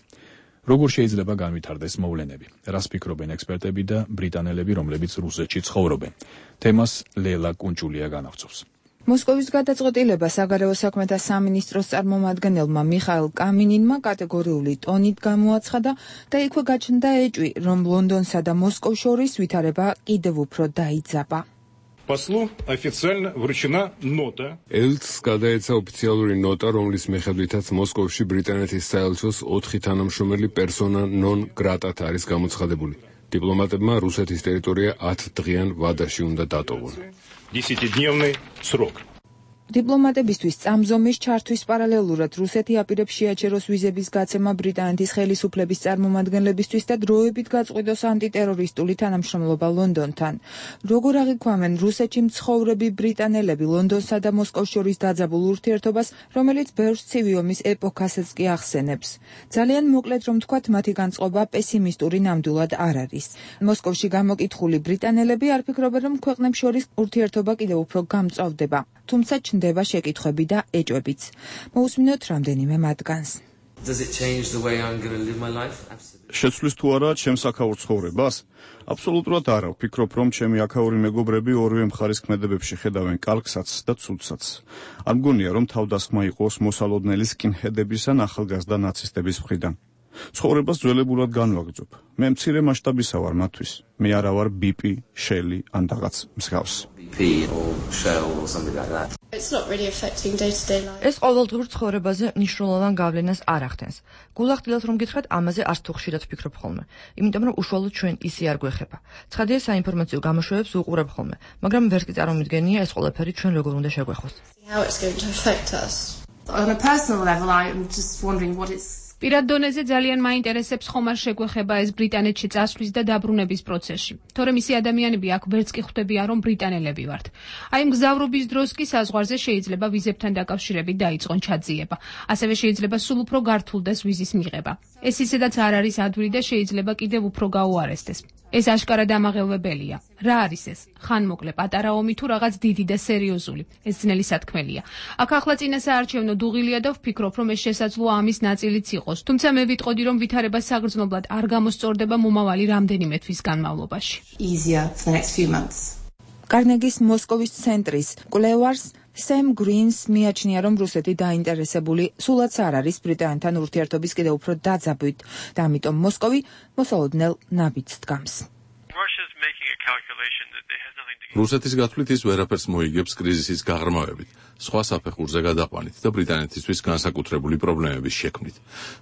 როგორ შეიძლება განვითარდეს მოვლენები? რას ფიქრობენ ექსპერტები და ბრიტანელები, რომლებიც რუსეთში ცხოვრობენ? თემას ლელა კუნჭულია განავწევს. მოსკოვის გადაწყვეტილება საგარეო საქმეთა სამინისტროს წარმომადგენელმა მიხაილ კამინინმა კატეგორიული ტონით გამოაცხადა და იქვე გაჩნდა ეჭვი, რომ ლონდონსა და მოსკოვს შორის ვითარება კიდევ უფრო დაიძაბა. Послу официально вручена нота. ელჩს გადაეცა ოფიციალური ნოტა, რომლის მიხედვითაც მოსკოვში ბრიტანეთის საელჩოს 4 თანამშრომელი პერსონა ნონ გრატად არის გამოცხადებული. დიპლომატებმა რუსეთის ტერიტორია 10 დღიან ვადაში უნდა დატოვონ. 10-дневный срок. დიპლომატებისთვის წამზომის ჩართვის პარალელურად რუსეთი აპირებს შეაჩეროს ვიზების გაცემა ბრიტანეთის ხელისუფლების წარმომადგენლებისთვის და დროებით გაწყვიტოს ანტიტერორისტული თანამშრომლობა ლონდონთან. როგორ აღიქვამენ რუსეთში მცხოვრები ბრიტანელები ლონდონსა და მოსკოვს შორის დაძაბულ ურთიერთობას, რომელიც ბევრს ცივი ომის ეპოქასაც კი ახსენებს. ძალიან მოკლედ რომ თქვათ, მათი განწყობა პესიმისტური ნამდვილად არ არის. მოსკოვში გამოკითხული ბრიტანელები არ ფიქრობენ, რომ ქვეყნებს შორის ურთიერთობა კიდევ უფრო გამწვავდება. თუმცა ჩნდება შეკითხვები და ეჭვებიც. მოусმინოთ რამდენიმე მათგანს. შეცვლის თუ არა ჩემს აქაურ ცხოვრებას? აბსოლუტურად არა. ვფიქრობ, რომ ჩემი აქაური მეგობრები ორივე მხარის ქმედებებში ხედავენ კალკსაც და ცუდსაც. არ მგონია, რომ თავდასხმა იყოს მოსალოდნელი სკინჰედების ან ახალგაზრდა ნაცისტების მხრიდან. ცხოვრებას ძველებურად განვაგრძობ. მე მცირე მასშტაბისა ვარ მათთვის. მე არა ვარ ბიპი, შელი ან რაღაც მსგავს. ეს ყოველდღიურ ცხოვრებაზე მნიშვნელოვან გავლენას არ ახდენს. გულახდილად რომ გითხრათ, ამაზე არც თუ ხშირად ვფიქრობ ხოლმე, იმიტომ რომ უშუალოდ ჩვენ ისე არ გვეხება. ცხადია, საინფორმაციო გამოშვებებს ვუყურებ ხოლმე, მაგრამ ვერც კი წარმომიდგენია ეს ყველაფერი ჩვენ როგორ უნდა შეგვეხოს. პირად დონეზე ძალიან მაინტერესებს ხომ არ შეგვეხება ეს ბრიტანეთში წასვლის და დაბრუნების პროცესში. თორემ ისე ადამიანები აქ ვერც კი ხვდებიან, რომ ბრიტანელები ვართ. აი მგზავრობის დროს კი საზღვარზე შეიძლება ვიზებთან დაკავშირებით დაიწყონ ჩაძიება. ასევე შეიძლება სულ უფრო გართულდეს ვიზის მიღება. ეს ისედაც არ არის ადვილი და შეიძლება კიდევ უფრო გაუარესდეს. ეს აშკარად ამაღელვებელია. რა არის ეს? ხანმოკლე პატარა ომი თუ რაღაც დიდი და სერიოზული? ეს ძნელი სათქმელია. აქ ახლა წინასაარჩევნო დუღილია და ვფიქრობ, რომ ეს შესაძლოა ამის ნაწილიც იყოს. თუმცა მე ვიტყოდი, რომ ვითარება საგრძნობლად არ გამოსწორდება მომავალი რამდენიმე თვის განმავლობაში. კარნეგის მოსკოვის ცენტრის კვლევარს სემ გრინს მიაჩნია, რომ რუსეთი დაინტერესებული სულაც არ არის ბრიტანეთთან ურთიერთობის კიდევ უფრო დაძაბვით და ამიტომ მოსკოვი მოსალოდნელ ნაბიჯს დგამს. რუსეთის გათვლით ის ვერაფერს მოიგებს კრიზისის გაღრმავებით, სხვა საფეხურზე გადაყვანით და ბრიტანეთისთვის განსაკუთრებული პრობლემების შექმნით.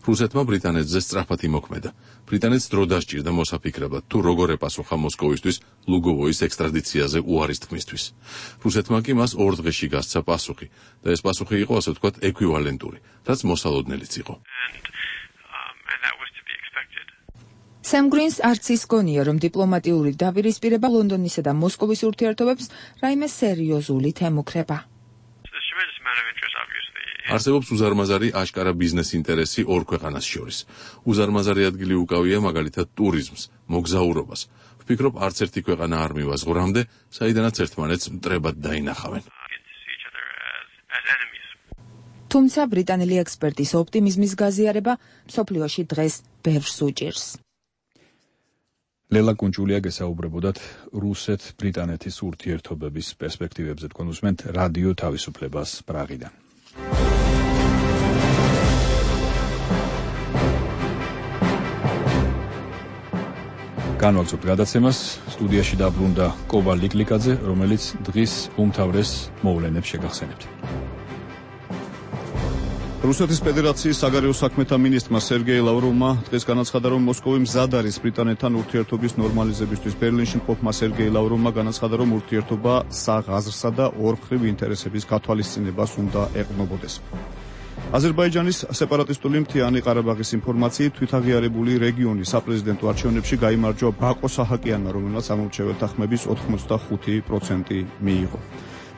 რუსეთმა ბრიტანეთზე სწრაფად იმოქმედა. ბრიტანეთს დრო დასჭირდა მოსაფიქრებლად, თუ როგორ ეპასუხა მოსკოვისთვის ლუგოვოის ექსტრადიციაზე უარის თქმისთვის. რუსეთმა კი მას 2 დღეში გასცა პასუხი და ეს პასუხი იყო, ასე ვთქვათ, ეკვივალენტური, რაც მოსალოდნელიც იყო. სემ გრინს არც ის გონია, რომ დიპლომატიური დაპირისპირება ლონდონისა და მოსკოვის ურთიერთობებს რაიმე სერიოზული ემუქრება. არსებობს უზარმაზარი აშკარა ბიზნეს ინტერესი ორ ქვეყანას შორის. უზარმაზარი ადგილი უკავია მაგალითად ტურიზმს, მოგზაურობას. ვფიქრობ, არც ერთი ქვეყანა არ მივაზღვრამდე, საიდანაც ერთმანეთს მტრებად დაინახავენ. თუმცა ბრიტანელი ექსპერტის ოპტიმიზმის გაზიარება მსოფლიოში დღეს ბევრს უჭირს. ლელა კუნჭულია გესაუბრებოდათ რუსეთ-ბრიტანეთის ურთიერთობების პერსპექტივებზე. თქვენ უსმენთ რადიო თავისუფლებას პრაღიდან. განვაგრძობთ გადაცემას. სტუდიაში დაბრუნდა კობა ლიკლიკაძე, რომელიც დღის უმთავრეს მოვლენებს შეგახსენებთ. რუსეთის ფედერაციის საგარეო საქმეთა მინისტრმა სერგეი ლავროვმა დღეს განაცხადა, რომ მოსკოვი მზად არის ბრიტანეთთან ურთიერთობის ნორმალიზებისთვის. ბერლინში მყოფმა სერგეი ლავროვმა განაცხადა, რომ ურთიერთობა საღაზრსა და ორმხრივ ინტერესების გათვალისწინებას უნდა ეყრდნობოდეს. აზერბაიჯანის სეპარატისტული მთიანი ყარაბაღის ინფორმაციით თვითაღიარებული რეგიონის საპრეზიდენტო არჩევნებში გაიმარჯვა ბაკო საჰაკიანმა, რომელმაც ამორჩეველთა ხმების 85% მიიღო.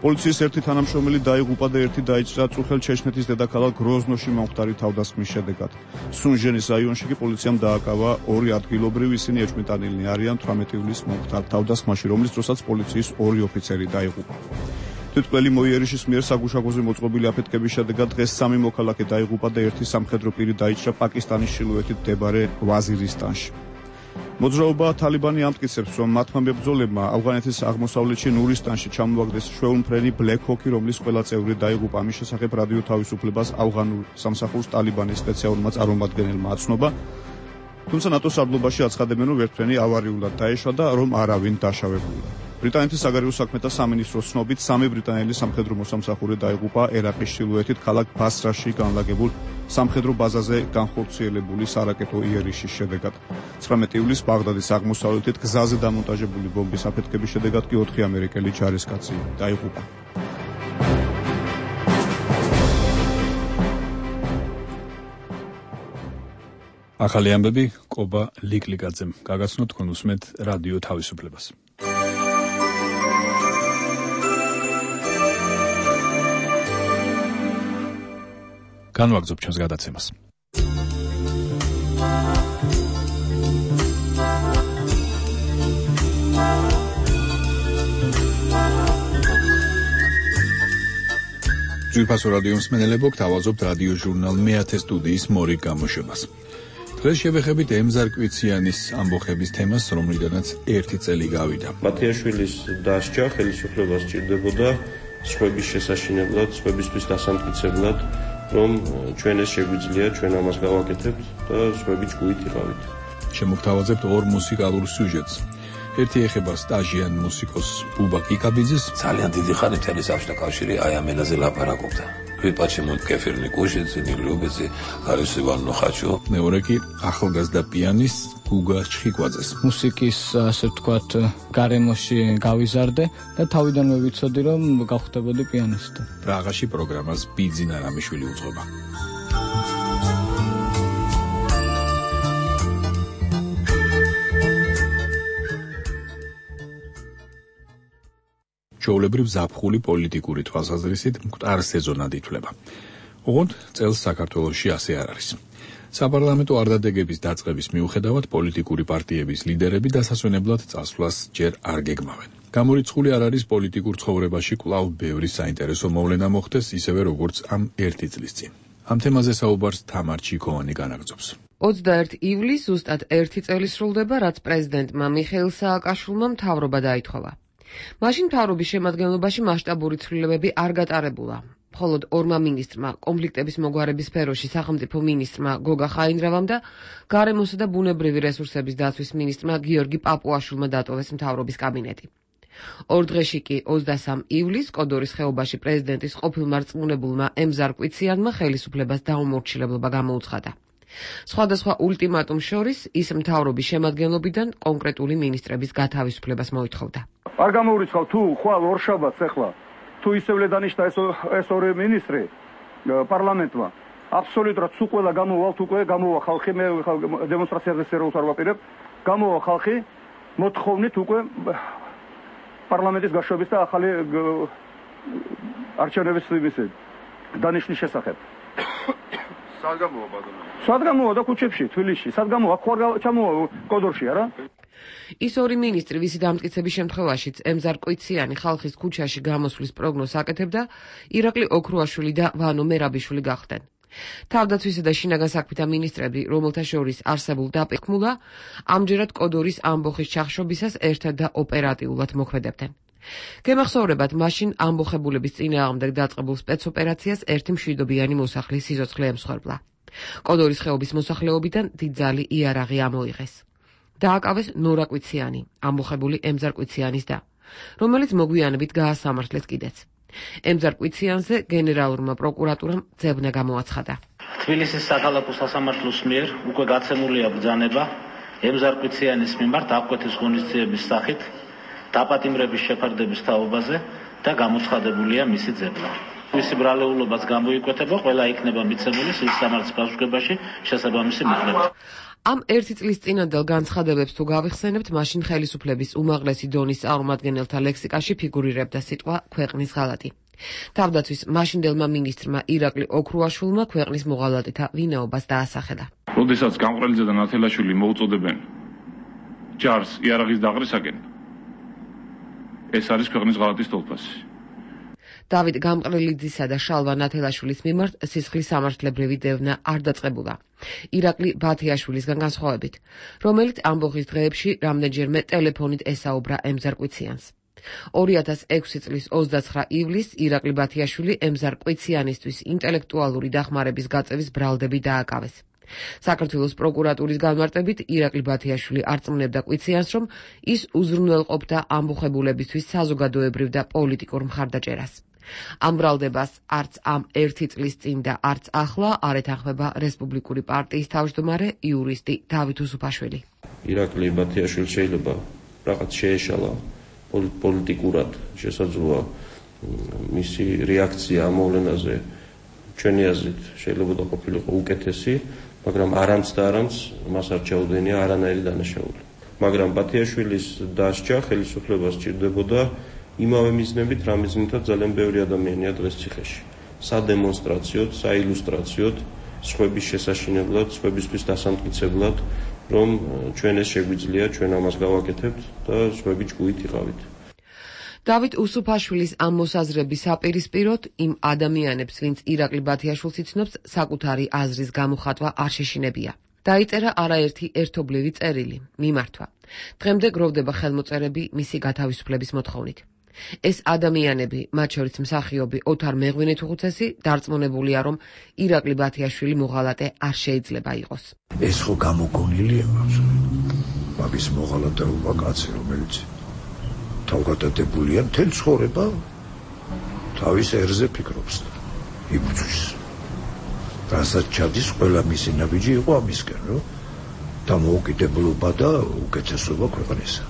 პოლიციის ერთი თანამშრომელი დაიღუპა და ერთი დაიჭრა წუხელ ჩეჩნეთის დედაქალაქ გროზნოში მომხდარი თავდასხმის შედეგად. სუნჟენის რაიონში კი პოლიციამ დააკავა ორი ადგილობრივი, ისინი ეჭვმიტანილნი არიან 18 ივლისს მომხდარ თავდასხმაში, რომლის დროსაც პოლიციის ორი ოფიცერი დაიღუპა. თვითმკვლელი მოიერიშის მიერ საგუშაგოზე მოწყობილი აფეთქების შედეგად დღეს 3 მოქალაქე დაიღუპა და ერთი სამხედრო პირი დაიჭრა პაკისტანის ჩრდილოეთით მდებარე ვაზირისტანში. მოძრაობა თალიბანი ამტკიცებს, რომ მათმა მებრძოლებმა ავღანეთის აღმოსავლეთში ნურისტანში ჩამოაგდეს შვეულმფრენი ბლეკ ჰოკი, რომლის ყველა წევრი დაიღუპა. ამის შესახებ რადიო თავისუფლებას ავღანურ სამსახურს ტალიბანის სპეციალურმა წარმომადგენელმა აცნობა. თუმცა ნატოს სარდლობაში აცხადებენ, რომ ერთფრენი ავარიულად დაეშვა და რომ არავინ დაშავებულა. ბრიტანეთის საგარეო საქმეთა სამინისტროს ცნობით 3 ბრიტანელი სამხედრო მოსამსახურე დაიღუპა ერაყის ჩრდილოეთით ქალაქ ბასრაში განლაგებულ სამხედრო ბაზაზე განხორციელებული სარაკეტო იერიშის შედეგად. 19 ივლისს ბაღდადის აღმოსავლეთით გზაზე დამონტაჟებული ბომბის აფეთქების შედეგად კი 4 ამერიკელი ჯარისკაცი დაიღუპა. ახალი ამბები კობა ლიკლიკაძემ გაგაცნოთ. თქვენ უსმენთ რადიო თავისუფლებას. განვაგრძობ ჩვენს გადაცემას. ძვირფასო რადიო მსმენელებო, გთავაზობთ რადიო ჟურნალ მეათე სტუდიის მორიგ გამოშვებას. დღეს შევეხებით ემზარკვიციანის ამბოხების თემას, რომლიდანაც 1 წელი გავიდა. მათიაშვილის დასჯა ხელისუფლებას სჭირდებოდა სხვების შესაშინებლად, სხვებისთვის დასამტკიცებლად, რომ ჩვენ ეს შეგვიძლია, ჩვენ ამას გავაკეთებთ და სხვები ჭკუით იყავით. შემოგთავაზებთ 2 მუსიკალურ სიუჟეტს. ერთი ეხება სტაჟიან მუსიკოს ბუბა კიკაბიძეს. ძალიან დიდი ხანი თელის აფშთა კავშირი აი ამ ენაზე ლაპარაკობდა. Почему кефирный кушается, не любится, არის ივან ნოხაჩო. მეორე კი ახალგაზრდა პიანის გუგა ჩხიკვაძეს. მუსიკის ასე ვთქვათ გარემოში გავიზარდე და თავიდანვე ვიცოდი რომ გავხდებოდი პიანისტი. პრაღაში პროგრამას ბიძინა რამიშვილი უძღვება. ჩვეულებრივ ზაფხული პოლიტიკური თვალსაზრისით მკვდარ სეზონად ითვლება. ოღონდ წელს საქართველოში ასე არ არის. საპარლამენტო არდადეგების დაწყების მიუხედავად პოლიტიკური პარტიების ლიდერები დასასვენებლად წასვლას ჯერ არ გეგმავენ. გამორიცხული არ არის პოლიტიკურ ცხოვრებაში კვლავ ბევრი საინტერესო მოვლენა მოხდეს, ისევე როგორც ამ 1 წლის წინ. ამ თემაზე საუბარს თამარ ჩიქოვანი განაგრძობს. 21 ივლისს ზუსტად 1 წელი სრულდება, რაც პრეზიდენტმა მიხეილ სააკაშვილმა მთავრობა დაითხოვა. მაშინ მთავრობის შემადგენლობაში მასშტაბური ცვლილებები არ გატარებულა. მხოლოდ 2 მინისტრმა, კონფლიქტების მოგვარების სფეროში სახელმწიფო მინისტრმა გოგა ხაინდრავამ და გარემოსა და ბუნებრივი რესურსების დაცვის მინისტრმა გიორგი პაპუაშვილმა დატოვეს მთავრობის კაბინეტი. 2 დღეში კი 23 ივლისს კოდორის ხეობაში პრეზიდენტის ყოფილ მარწმუნებულმა ემზარკვიციანმა ხელისუფლებას დაუმორჩილებლობა გამოუცხადა. სხვადასხვა ულტიმატუმს შორის ის მთავრობის შემადგენლობიდან კონკრეტული მინისტრების გათავისუფლებას მოითხოვდა. არ გამოურიცხავ თუ ხვალ ორშაბათს ახლა თუ ისევ დანიშნა ეს 2 მინისტრი პარლამენტმა აბსოლუტურად სულ ყველა გამოვალთ უკვე, გამოვა ხალხი, მე დემონსტრაციაზე სერიოზულად არ ვაპირებ, გამოვა ხალხი მოთხოვნით უკვე პარლამენტის გაშვების და ახალი არჩევნების დანიშნვის შესახებ. სად გამოვა ბატონო? სად გამოვა და ქუჩებში, თბილისში, სად გამოვა, ხო არ ჩამოვა კოდორში, არა? ის ორი მინისტრი, ვისი დამტკიცების შემთხვევაშიც ემზარ-კვიციანი ხალხის ქუჩაში გამოსვლის პროგნოზს აკეთებდა, ირაკლი ოქრუაშვილი და ვანო მერაბიშვილი გახდნენ. თავდაცვისა და შინაგან საქმეთა მინისტრები, რომელთა შორის არსებულ დაპყრობლა, ამჯერად კოდორის ამბოხის ჩახშობისას ერთად და ოპერატიულად მოქმედებდნენ. გემახსოვრებათ, მაშინ ამბოხებულების წინააღმდეგ დაწყებულ სპეცოპერაციას ერთი მშვიდობიანი მოსახლის სიცოცხლე ემსხვერპლა. კოდორის ხეობის მოსახლეობიდან დიდძალი იარაღი ამოიღეს. დააკავეს ნორა კვიციანი, ამბოხებული ემზარ კვიციანის და, რომელიც მოგვიანებით გაასამართლეს კიდეც. ემზარ კვიციანზე გენერალურმა პროკურატურამ ძებნა გამოაცხადა. თბილისის საქალაქო სასამართლოს მიერ უკვე გაცემულია ბრძანება ემზარ კვიციანის მიმართ აღკვეთის ღონისძიების სახით დაპატიმრების შეფარდების თაობაზე და გამოცხადებულია მისი ძებნა. მისი ბრალეულობაც გამოიკვეთება, ყველა იქნება მიცემული სისამართლის პასუხებაში შესაბამისი მიღება. ამ ერთი წლის წინანდელ განცხადებებს თუ გავიხსენებთ, მაშინ ხელისუფლების უმაღლესი დონის წარმომადგენელთა ლექსიკაში ფიგურირებდა სიტყვა ქვეყნის ღალატი. თავდაცვის მაშინდელმა მინისტრმა ირაკლი ოქრუაშვილმა ქვეყნის მოღალატეთა ვინაობას დაასახელა. როდესაც გამყრელიძე და ნათელაშვილი მოუწოდებენ ჯარს იარაღის დაყრისაკენ, ეს არის ქვეყნის ღალატის თვალსაზრისი. დავით გამყრელიძისა და შალვა ნათელაშვილის მიმართ სისხლის სამართლებრივი დევნა არ დაწყებულა. ირაკლი ბათიაშვილისგან განსხვავებით, რომელიც ამბოხის დღეებში რამდენჯერმე ტელეფონით ესაუბრა ემზარ კვიციანს. 2006 წლის 29 ივლისს ირაკლი ბათიაშვილი ემზარ კვიციანისთვის ინტელექტუალური დახმარების გაწევის ბრალდები დააკავეს. საქართველოს პროკურატურის განმარტებით ირაკლი ბათიაშვილი არწმუნებდა კვიციანს, რომ ის უზრუნველყოფდა ამბოხებულებისთვის საზოგადოებრივ და პოლიტიკურ მხარდაჭერას. ამ ბრალდებას არც ამ ერთი წლის წინ და არც ახლა არ ეთანხმება რესპუბლიკური პარტიის თავმჯდომარე იურისტი დავით უსუფაშვილი. ირაკლი ბათიაშვილი შეიძლება რაღაც შეეშალა პოლიტიკურად, შესაძლოა მისი რეაქცია ამ მოვლენაზე ჩვენი აზრით შეიძლება ყოფილიყო უკეთესი, მაგრამ არამც და არამც მას არ ჩაუდენია არანაირი დანაშაული. მაგრამ ბათიაშვილის დასჯა ხელისუფლებას სჭირდებოდა იმავე მიზნებით, რა მიზნითაც ძალიან ბევრი ადამიანია დღეს ციხეში. სადემონსტრაციოდ, საილუსტრაციოდ, სხვების შესაშინებლად, სხვებისთვის დასამტკიცებლად, რომ ჩვენ ეს შეგვიძლია, ჩვენ ამას გავაკეთებთ და სხვები ჭკუით იყავით. დავით უსუფაშვილის ამ მოსაზრების საპირისპიროდ იმ ადამიანებს, ვინც ირაკლი ბათიაშვილს იცნობს, საკუთარი აზრის გამოხატვა არ შეშინებია. დაიწერა არაერთი ერთობლივი წერილი, მიმართვა. დღემდე გროვდება ხელმოწერები მისი გათავისუფლების მოთხოვნით. ეს ადამიანები, მათ შორის მსახიობი ოთარ მეღვინეთუხუცესი, დარწმუნებულია, რომ ირაკლი ბათიაშვილი მოღალატე არ შეიძლება იყოს. ეს ხო გამოგონილია მაგის მოღალატეობა კაცი, რომელიც თავგადადებულია მთელ ცხოვრება თავის ერზე ფიქრობს იბრძვის. რასაც ჩადის ყველა მისი ნაბიჯი იყო ამისკენ, რომ დამოუკიდებლობა და უკეთესობა ქვეყნისა.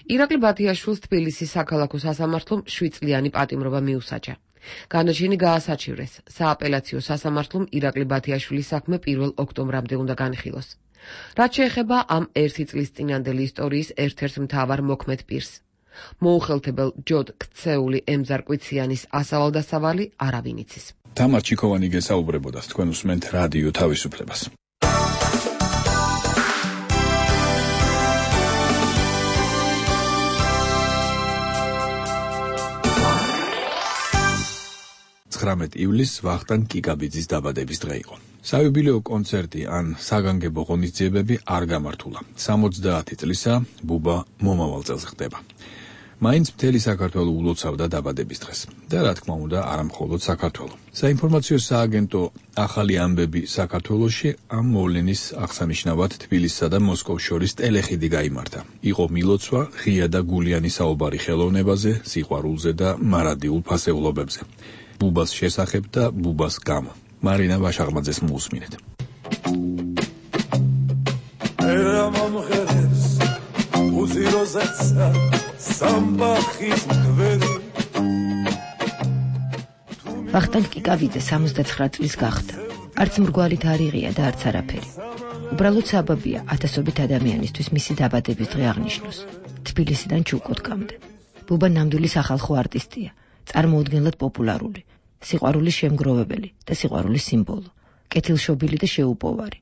ირაკლი ბათიაშვილს თბილისის საქალაქო სასამართლომ 7 წლიანი პატიმრობა მიუსაჯა. განაჩენი გაასაჩივრეს. სააპელაციო სასამართლომ ირაკლი ბათიაშვილის საქმე 1 ოქტომბრამდე უნდა განიხილოს. რაც შეეხება ამ ერთი წლის წინანდელი ისტორიის ერთ-ერთ მთავარ მოქმედ პირს. მოუხელთებელ ჯოდ ქცეული ემზარ კვიციანის ასავალ-დასავალი არავინ იცის. თამარ ჩიქოვანი გესაუბრებოდა, თქვენ უსმენთ რადიო თავისუფლებას. ივლისს ვახტანგ კიკაბიძის დაბადების დღე იყო. საიუბილეო კონცერტი ან საგანგებო ღონისძიებები არ გამართულა. 70 წლისა ბუბა მომავალ წელს ხდება. მაინც მთელი საქართველო ულოცავდა დაბადების დღეს. და რა თქმა უნდა, არა მხოლოდ საქართველო. საინფორმაციო სააგენტო ახალი ამბები საქართველოში ამ მოვლენის აღსანიშნავად თბილისსა და მოსკოვს შორის ტელეხიდი გაიმართა. იყო მილოცვა, ღია და გულიანი საუბარი ხელოვნებაზე, სიყვარულზე და მარადიულ ფასეულობებზე. ბუბას შესახებ და ბუბას გამო. მარინა ვაშაღმაძეს მოусმინეთ. ვახტანგ კიკაბიძე 79 წლის გახდა. არც მრგვალი თარიღია და არც არაფერი. უბრალოდ საბაბია ათასობით ადამიანისთვის მისი დაბადების დღე აღნიშნოს. თბილისიდან ჩუკოტკამდე. ბუბა ნამდვილი სახალხო არტისტია, წარმოუდგენლად პოპულარული, სიყვარულის შემგროვებელი და სიყვარულის სიმბოლო, კეთილშობილი და შეუპოვარი.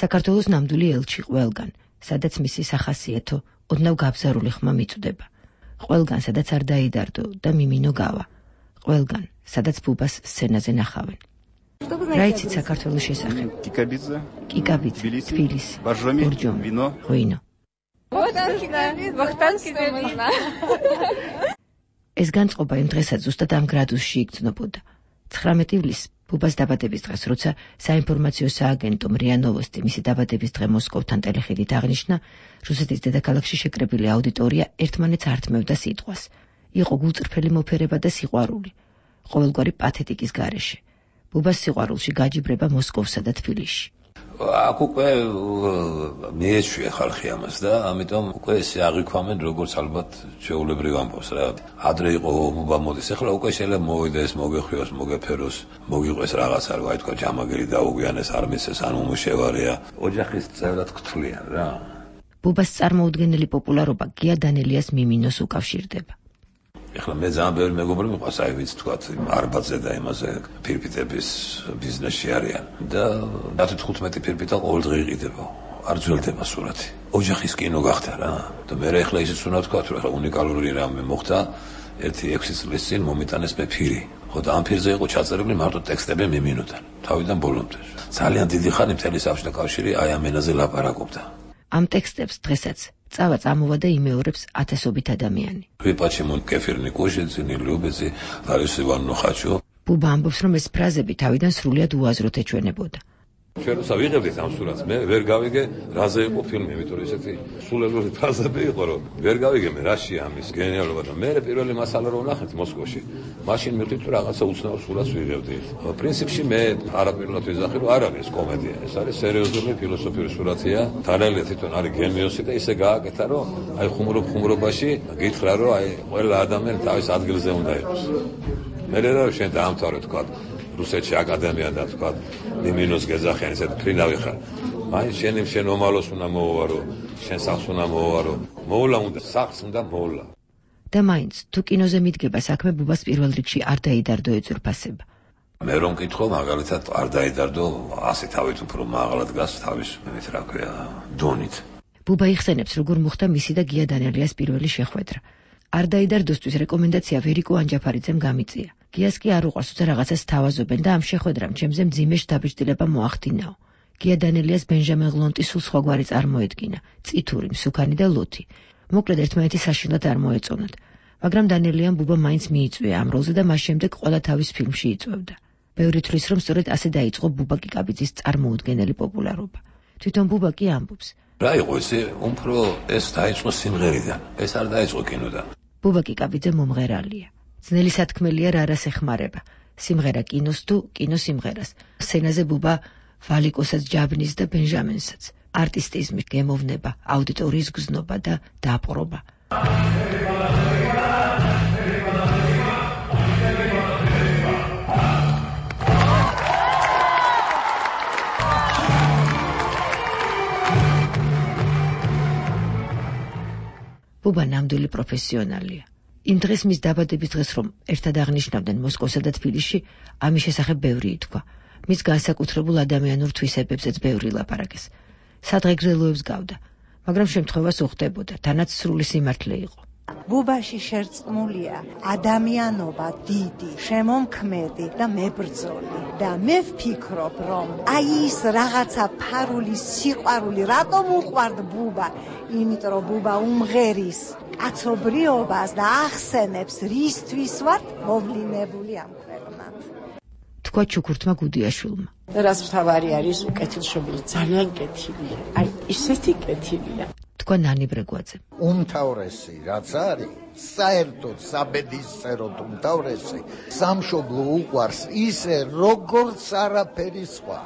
საქართველოს ნამდვილი ელჩი ყველგან, სადაც მისი სახასიათო, ოდნავ გაბზარული ხმა მიწვდება. ყველგან, სადაც არ დაიდარდო და მიმინო გავა. ყველგან, სადაც ბუბას სცენაზე ნახავენ. რა იცით საქართველოს შესახებ? კიკაბიძე, თბილისი, ბორჯომი, ღვინო. ეს განწყობა იმ დღესაც ზუსტად ამ გრადუსში იგრძნობოდა. 19 ივლისს ბუბას დაბადების დღეს, როცა საინფორმაციო სააგენტო МРИА Новости მისი დაბადების დღე მოსკოვთან ტელეხიდით აღნიშნა, რუსეთის დედაქალაქში შეკრებილი აუდიტორია ერთმანეთს ართმევდა სიტყვას. იყო გულწრფელი მოფერება და სიყვარული, ყოველგვარი პათეტიკის გარეშე. ბუბას სიყვარულში გაჯიბრება მოსკოვსა და თბილისში. აქ უკვე მიეჩვია ხალხი ამას და ამიტომ უკვე ესე აღიქვამენ როგორც ალბათ შეულებრივ ამბავს რა. ადრე იყო ბუბა მოდის, ახლა უკვე შეიძლება მოვიდეს, მოგეხვიოს, მოგეფეროს, მოგიყვეს რაღაცა, რა თქვა, ჯამაგერი დაუგვიანეს, არ მისცეს, ან უმუშევარია. ოჯახის წევრად გთვლიან რა. ბუბას წარმოუდგენელი პოპულარობა გია დანელიას მიმინოს უკავშირდება. ეხლა მე ძალიან ბევრი მეგობრები მყავს, აი ვიცი თქვა, არბათზე და იმაზე ფირფიტების ბიზნესში არიან და 15 ფირფიტა ყოველ დღე იყიდება. არ ძველდება სურათი. ოჯახის კინო გახდა რა. და მე ეხლა ისიც უნდა თქვა, რომ ეხლა უნიკალური რამე მოხდა, 1-6 წლის წინ მომიტანეს მე ფირი. ხო და ამ ფირზე იყო ჩაწერილი მარტო ტექსტები მიმინოდან, თავიდან ბოლომდე. ძალიან დიდი ხანი მთელი საბჭოთა კავშირი აი ამ ენაზე ლაპარაკობდა. ამ ტექსტებს დღესაც წავა წამოვა და იმეორებს ათასობით ადამიანი. Почему кефирный кушай, не любите, Лариса Ивановна хочу. ბუბა ამბობს, რომ ეს ფრაზები თავიდან სრულიად უაზროდ ეჩვენებოდა. ჩვენ ვიღებდით ამ სურათს, მე ვერ გავიგე, რაზე იყო ფილმი, იმიტომ რომ ესეთი სულელური ფრაზები იყო, რომ ვერ გავიგე მე რაშია ამის გენიალობა და მე პირველი მასალა რომ ნახეთ მოსკოვში, მაშინ მივხვდით რომ რაღაცა უცნაურ სურათს ვიღებდით. პრინციპში მე არაპირულად ვიზახი, რომ არ არის კომედია, ეს არის სერიოზული ფილოსოფიური სურათია. დანელია თვითონ არის გენიოსი და ისე გააკეთა, რომ აი ხუმრობაში გითხრა, რომ აი ყველა ადამიანი თავის ადგილზე უნდა იყოს. მე რა შენ დაამთავრე თქვა რუსეთში აკადემია და თქვა მიმინოს გეძახიან ესეთ ფრინავი ხარ. მაინც შენ ომალოს უნდა მოუვარო, შენ სახს უნდა მოუვარო, მოვლა უნდა სახს უნდა მოვლა. და მაინც თუ კინოზე მიდგება საქმე, ბუბას პირველ რიგში არ დაიდარდო ეძურფასება. მე რომ მკითხო, მაგალითად არ დაიდარდო 100 თავით უფრო მაღლა დგას თავის მით რა ქვია დონით. ბუბა იხსენებს, როგორ მოხდა მისი და გია დანელიას პირველი შეხვედრა. არ დაიდარდოსთვის რეკომენდაცია ვერიკო ანჯაფარიძემ გამიწია. გიას კი არ უყვარს, თუმცა რაღაცას თავაზობენ და ამ შეხვედრამ ჩემზე მძიმე შთაბეჭდილება მოახდინაო. გია დანელიას ბენჟამინ ღლონტი სულ სხვაგვარი წარმოედგინა, წითური, მსუქანი და ლოთი. მოკლედ ერთმანეთი საშინლად არ მოეწონათ. მაგრამ დანელიამ ბუბა მაინც მიიწვია ამ როლზე და მას შემდეგ ყველა თავის ფილმში იწვევდა. ბევრი თვლის, რომ სწორედ ასე დაიწყო ბუბა კიკაბიძის წარმოუდგენელი პოპულარობა. თვითონ ბუბა კი ამბობს. რა იყო ესე, უფრო ეს დაიწყო სიმღერიდან, ეს არ დაიწყო კინოდან. ბუბა კიკაბიძე მომღერალია. ძნელი სათქმელია რა რას ეხმარება. სიმღერა კინოს თუ კინო სიმღერას. სცენაზე ბუბა ვალიკოსაც ჯაბნის და ბენჟამინსაც. არტისტიზმი, გემოვნება, აუდიტორიის გზნობა და დაპყრობა. ბუბა ნამდვილი პროფესიონალია. იმ დღეს მის დაბადების დღეს რომ ერთად აღნიშნავდნენ მოსკოვსა და თბილისში, ამის შესახებ ბევრი ითქვა. მის განსაკუთრებულ ადამიანურ თვისებებზეც ბევრი ლაპარაკეს. სადღეგრძელოებს გავდა, მაგრამ შემთხვევას უხდებოდა, თანაც სრული სიმართლე იყო. ბუბაში შერწყმულია ადამიანობა დიდი, შემომქმედი და მებრძოლი და მე ვფიქრობ, რომ აი ის რაღაცა ფარული სიყვარული რატომ უყვართ ბუბა, იმიტომ რომ ბუბა უმღერის კაცობრიობას და ახსენებს რისთვის ვართ მოვლინებული ამ ქვეყნად. თქვა ჩუქურთმა გუდიაშვილმა. რაც მთავარი არის უკეთილშობილი, ძალიან კეთილია. აი ისეთი კეთილია. თქვა ნანი ბრეგვაძე. უმთავრესი რაც არის, საერთოდ საბედისწეროდ უმთავრესი, სამშობლო უყვარს ისე როგორც არაფერი სხვა.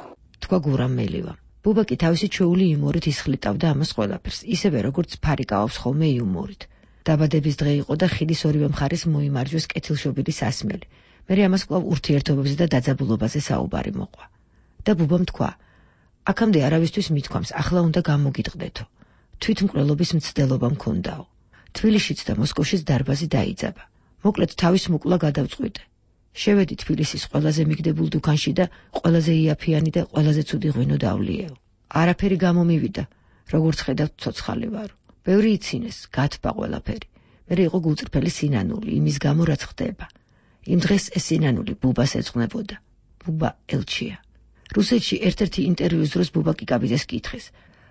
თქვა გურამ მელივამ. ბუბა კი თავისი ჩვეული იუმორით ისხლიტავდა ამას ყველაფერს, ისევე როგორც ფარიკაობს ხოლმე იუმორით. დაბადების დღე იყო და ხიდის ორივე მხარეს მოიმარჯვეს კეთილშობილი სასმელი. მე ამას კვლავ ურთიერთობებზე და დაძაბულობაზე საუბარი მოყვა. და ბუბამ თქვა: "აქამდე არავისთვის მithქვამს, ახლა უნდა გამოგიტყდეთო. თვითმკვლელობის მცდელობა მქონდაო. თბილისშიც და მოსკოვშიც დარბაზი დაიძაბა. მოკლედ თავის მოკლა გადავწყვიტე. შევედი თბილისის ყველაზე მიგდებულ დუქანში და ყველაზე იაფიანი და ყველაზე ცუდი ღვინო დავლიეო. არაფერი გამომივიდა, როგორც ხედავთ ცოცხალი ვარო. ბევრი იცინეს, გათბა ყველაფერი. მერე იყო გულწრფელი სინანული, იმის გამო რაც ხდება. იმ დღეს ეს სინანული ბუბას ეძღვნებოდა. ბუბა ელჩია. რუსეთში ერთ-ერთი ინტერვიუს დროს ბუბა კიკაბიძეს კითხეს: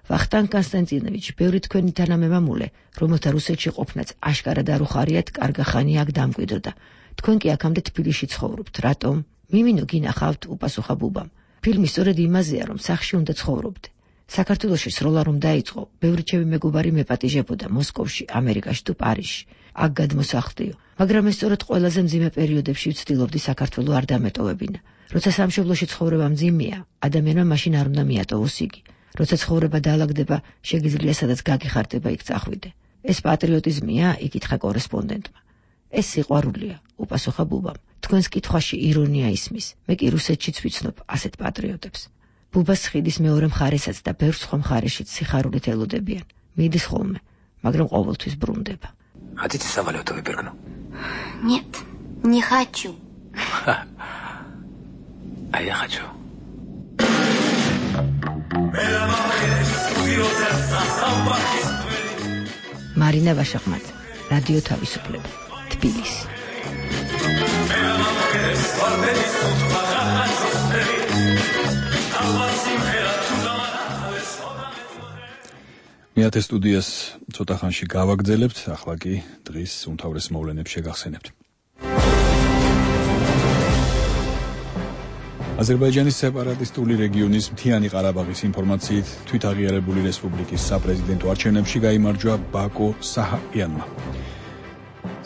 "ვახტანგ კონსტანტინოვიჩ, ბევრი თქვენი თანამემამულე, რომელთა რუსეთში ყოფნაც აშკარად არ უხარიათ, კარგა ხანი აქ დამკვიდრდა. თქვენ კი აქამდე თბილისში ცხოვრობთ, რატომ?" "მიმინო გინახავთ", უპასუხა ბუბამ. "ფილმი სწორედ იმაზეა, რომ სახში უნდა ცხოვრობდე. საქართველოში სროლა რომ დაიწყო, ბევრი ჩემი მეგობარი მეპატიჟებოდა მოსკოვში, ამერიკაში თუ პარიზში. აქ გადმოსახლდიო, მაგრამ ეს სწორედ ყველაზე მძიმე პერიოდებში ვცდილობდი საქართველო არ დამეტოვებინა. როცა სამშობლოში ცხოვრება მძიმეა, ადამიანმა მაშინ არ უნდა მიატოვოს იგი. როცა ცხოვრება დაალაგდება, შეგიძლია სადაც გაგიხარდება იქ წახვიდე. ეს პატრიოტიზმია?" იკითხა კორესპონდენტმა. "ეს სიყვარულია", უპასუხა ბუბამ. "თქვენს კითხვაში ირონია ისმის. მე კი რუსეთშიც ვიცნობ ასეთ პატრიოტებს. ბუბას ხიდის მეორე მხარესაც და ბევრ სხვა მხარეშიც სიხარულით ელოდებიან. მიდის ხოლმე, მაგრამ ყოველთვის ბრუნდება." Хотите самолеты выпрыгну? Нет, не хочу. А я хочу. მარინა ვაშახმაძე, რადიო თავისუფლება, თბილისი. მეათე სტუდიას ცოტა ხანში გავაგრძელებთ, ახლა კი დღის უმთავრეს მოვლენებს შეგახსენებთ. აზერბაიჯანის სეპარატისტული რეგიონის მთიანი ყარაბაღის ინფორმაციით თვითაღიარებული რესპუბლიკის საპრეზიდენტო არჩევნებში გაიმარჯვა ბაკო საჰაკიანმა.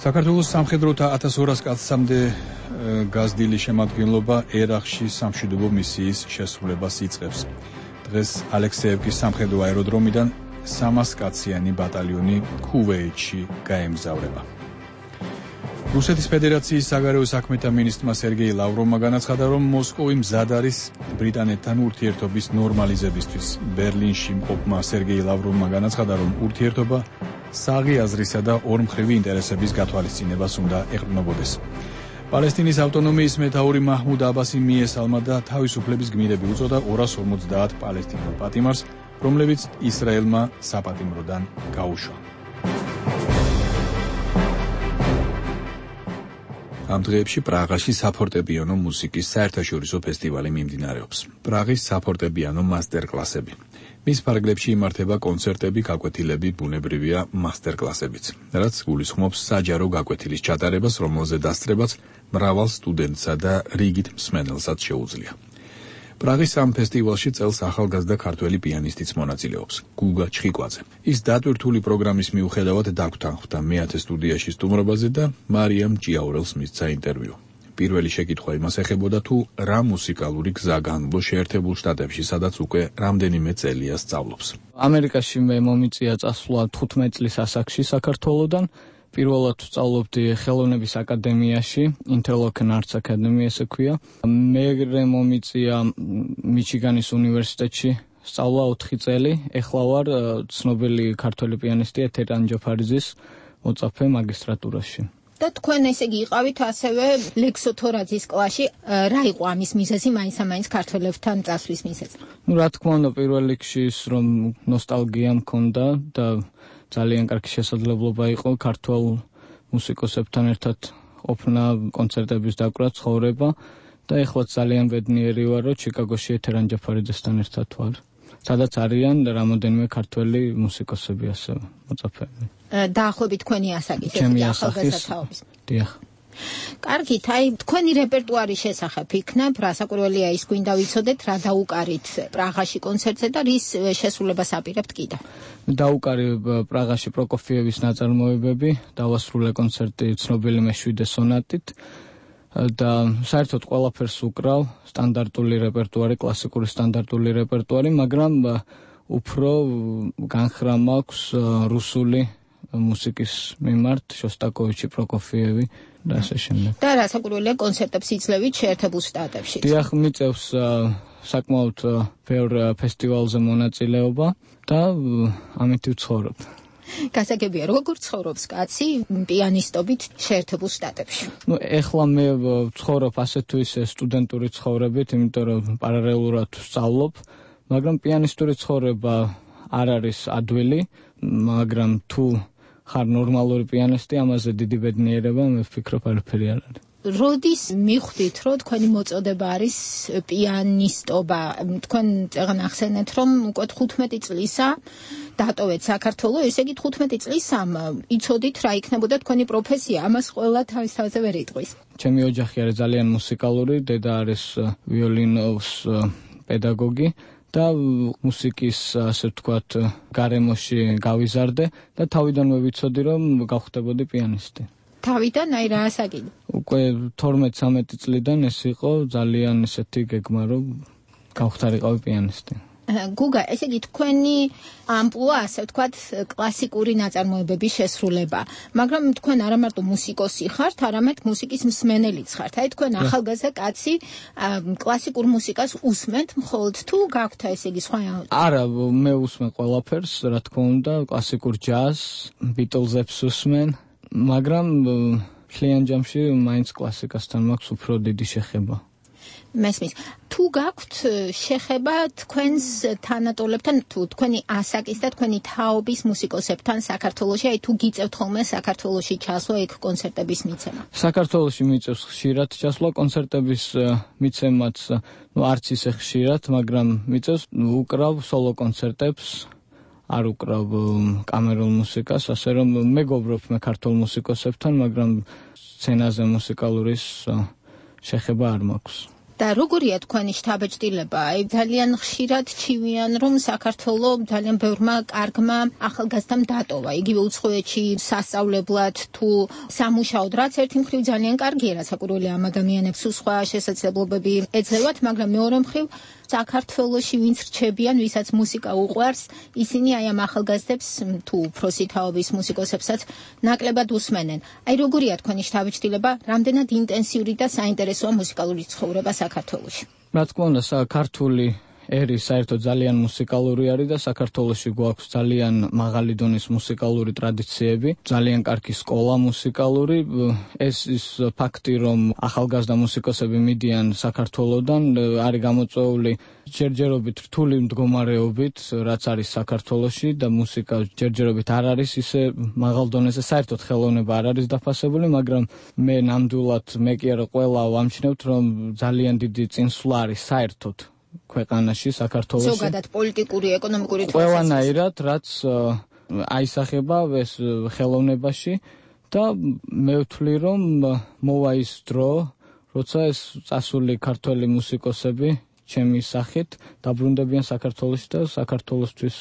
საქართველოს სამხედროთა 1200 კაცამდე გაზრდილი შემადგენლობა ერაყში სამშვიდობო მისიის შესრულებას იწყებს. დღეს ალექსეევკის სამხედრო აეროდრომიდან 300 კაციანი ბატალიონი ქუვეითში გაემგზავრება. რუსეთის ფედერაციის საგარეო საქმეთა მინისტრმა სერგეი ლავროვმა განაცხადა, რომ მოსკოვი მზად არის ბრიტანეთთან ურთიერთობის ნორმალიზებისთვის. ბერლინში მყოფმა სერგეი ლავროვმა განაცხადა, რომ ურთიერთობა საღი აზრისა და ორმხრივი ინტერესების გათვალისწინებას უნდა ეყრდნობოდეს. პალესტინის ავტონომიის მეთაური მაჰმუდ აბასი მიესალმა და თავისუფლების გმირები უწოდა 250 პალესტინელ პატიმარს, რომლებიც ისრაელმა საპატიმროდან გაუშვა. ამ დღეებში პრაღაში საფორტეპიანო მუსიკის საერთაშორისო ფესტივალი მიმდინარეობს. პრაღის საფორტეპიანო მასტერკლასები. მის ფარგლებში იმართება კონცერტები, გაკვეთილები, ბუნებრივია მასტერკლასებიც, რაც გულისხმობს საჯარო გაკვეთილის ჩატარებას, რომელზე დასწრებაც მრავალ სტუდენტსა და რიგით მსმენელსაც შეუძლია. პრაღის ამ ფესტივალში წელს ახალგაზრდა ქართველი პიანისტიც მონაწილეობს, გუგა ჩხიკვაძე. ის დატვირთული პროგრამის მიუხედავად დაგვრთანხმდა მეათე სტუდიაში სტუმრობაზე და მარიამ ჭიაურელს მისცა ინტერვიუ. პირველი შეკითხვა იმას ეხებოდა, თუ რა მუსიკალური გზა განვლო შეერთებულ შტატებში, სადაც უკვე რამდენიმე წელია სწავლობს. ამერიკაში მე მომიწია წასვლა 15 წლის ასაკში საქართველოდან. პირველად სწავლობდი ხელოვნების აკადემიაში, Intel Open Arts Academy ესე ქვია. მერე მომიწია მიჩიგანის უნივერსიტეტში სწავლა 4 წელი. ეხლა ვარ ცნობილი ქართველი პიანისტი ეთერან ჯოფარიძის მოწაფე მაგისტრატურაში. და თქვენ ესე იგი იყავით ასევე ლექსო თორაძის კლასში, რა იყო ამის მიზეზი მაინც ქართველებთან წასვლის მიზეზი? რა თქმა უნდა, პირველ რიგში ის რომ ნოსტალგია მქონდა და ძალიან კარგი შესაძლებლობა იყო ქართულ მუსიკოსებთან ერთად ყოფნა, კონცერტების დაკვრა, ცხოვრება და ეხლა ძალიან ბედნიერი ვარ, რომ ჩიკაგოში ეთერან ჯაფარიძესთან ერთად ვარ. სადაც არიან რამოდენიმე ქართველი მუსიკოსები ასევე მოწაფეები. დაახლოებით თქვენი ასაკის ახალგაზრდაობის. დიახ. კარგით, აი თქვენი რეპერტუარის შესახებ იქნებ, რასაკვირველია ის გვინდა ვიცოდეთ, რა დაუკარით პრაღაში კონცერტზე და რის შესრულებას აპირებთ კიდევ. დაუკარი პრაღაში პროკოფიევის ნაწარმოებები, დავასრულე კონცერტი ცნობილი მე-7 სონატით და საერთოდ ყველაფერს უკრავ, სტანდარტული რეპერტუარი, კლასიკური სტანდარტული რეპერტუარი, მაგრამ უფრო განხრა მაქვს რუსული მუსიკის მიმართ, შოსტაკოვიჩი, პროკოფიევი და ასე შემდეგ. და რასაკვირველია კონცერტებს იძლევით შეერთებულ შტატებში. დიახ, მიწევს საკმაოდ ბევრ ფესტივალზე მონაწილეობა და ამით ვცხოვრობ. გასაგებია, როგორ ცხოვრობს კაცი პიანისტობით შეერთებულ შტატებში? ეხლა მე ვცხოვრობ ასე თუ ისე სტუდენტური ცხოვრებით, იმიტომ რომ პარალელურად ვსწავლობ, მაგრამ პიანისტური ცხოვრება არ არის ადვილი, მაგრამ თუ ხარ ნორმალური პიანისტი, ამაზე დიდი ბედნიერება, მე ვფიქრობ, არაფერი არ არის. როდის მიხვდით, რომ თქვენი მოწოდება არის პიანისტობა? თქვენ წეგან ახსენეთ, რომ უკვე 15 წლისა დატოვეთ საქართველოს, ესე იგი 15 წლის იცოდით რა იქნებოდა თქვენი პროფესია, ამას ყველა თავის თავზე ვერ იტყვის. ჩემი ოჯახი არის ძალიან მუსიკალური, დედა არის ვიოლინოს პედაგოგი და მუსიკის, ასე ვთქვათ, გარემოში გავიზარდე და თავიდანვე ვიცოდი, რომ გავხდებოდი პიანისტი. თავიდან აი რა ასაკიდან? უკვე 12-13 წლიდან ეს იყო ძალიან ესეთი გეგმა, რომ გავხდარიყავი პიანისტი. გუგა, ესე იგი თქვენი ამპლუა, ასე ვთქვათ, კლასიკური ნაწარმოებების შესრულება, მაგრამ თქვენ არა მარტო მუსიკოსი ხართ, არამედ მუსიკის მსმენელიც ხართ. აი თქვენ ახალგაზრდა კაცი კლასიკურ მუსიკას უსმენთ, მხოლოდ თუ გაქვთ ესე იგი სხვა? არა, მე უსმენ ყველაფერს, რა თქმა უნდა, კლასიკურ ჯაზს, ბიტლზებს უსმენ, მაგრამ მთლიან ჯამში მაინც კლასიკასთან მაქვს უფრო დიდი შეხება. მესმის, თუ გაქვთ შეხება თქვენს თანატოლებთან, თუ თქვენი ასაკის და თქვენი თაობის მუსიკოსებთან საქართველოში, აი თუ გიწევთ ხოლმე საქართველოში ჩასვლა, იქ კონცერტების მიცემა? საქართველოში მიწევს ხშირად ჩასვლა, კონცერტების მიცემაც არც ისე ხშირად, მაგრამ მიწევს, უკრავ სოლო კონცერტებს, არ უკრავ კამერულ მუსიკას, ასე რომ მეგობრობ მე ქართულ მუსიკოსებთან, მაგრამ სცენაზე მუსიკალურის შეხება არ მაქვს. და როგორია თქვენი შთაბეჭდილება? აი ძალიან ხშირად ჩივიან, რომ საქართველოს ძალიან ბევრმა კარგმა ახალგაზრდამ დატოვა. იგივე უცხოეთში სასწავლებლად თუ სამუშაოდ, რაც ერთი მხრივ ძალიან კარგია, რაც საკურველი ამ ადამიანებს სხვა შესაძლებლობები ეძლევათ, მაგრამ მეორე მხრივ საქართველოში ვინც რჩებიან, ვისაც მუსიკა უყვარს, ისინი აი ამ ახალგაზრდებს თუ უფროსი თაობის მუსიკოსებსაც ნაკლებად უსმენენ. აი როგორია თქვენი შთაბეჭდილება, რამდენად ინტენსიური და საინტერესოა მუსიკალური ცხოვრება საქართველოში? რა თქმა უნდა, ქართული ერი საერთოდ ძალიან მუსიკალური არის და საქართველოში გვაქვს ძალიან მაღალი დონის მუსიკალური ტრადიციები, ძალიან კარგი სკოლა მუსიკალური. ეს ის ფაქტი, რომ ახალგაზრდა მუსიკოსები მიდიან საქართველოდან, არის გამოწვეული ჯერჯერობით რთული მდგომარეობით, რაც არის საქართველოში და მუსიკა ჯერჯერობით არ არის ისე მაღალ დონეზე, საერთოდ ხელოვნება არ არის დაფასებული, მაგრამ მე ნამდვილად მე კი არა ყველა ვამჩნევთ, რომ ძალიან დიდი წინსვლა არის საერთოდ ქვეყანაში, საქართველოში. ზოგადად პოლიტიკური, ეკონომიკური ყველანაირად, რაც აისახება ეს ხელოვნებაში და მე ვთვლი, რომ მოვა ის დრო, როცა ეს წასული ქართველი მუსიკოსები ჩემი სახით დაბრუნდებიან საქართველოში და საქართველოსთვის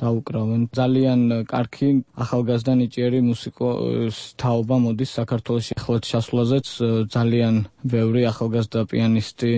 დაუკრავენ. ძალიან კარგი ახალგაზრდა ნიჭიერი მუსიკოს თაობა მოდის საქართველოში. ახლა ჩასვლაზეც ძალიან ბევრი ახალგაზრდა პიანისტი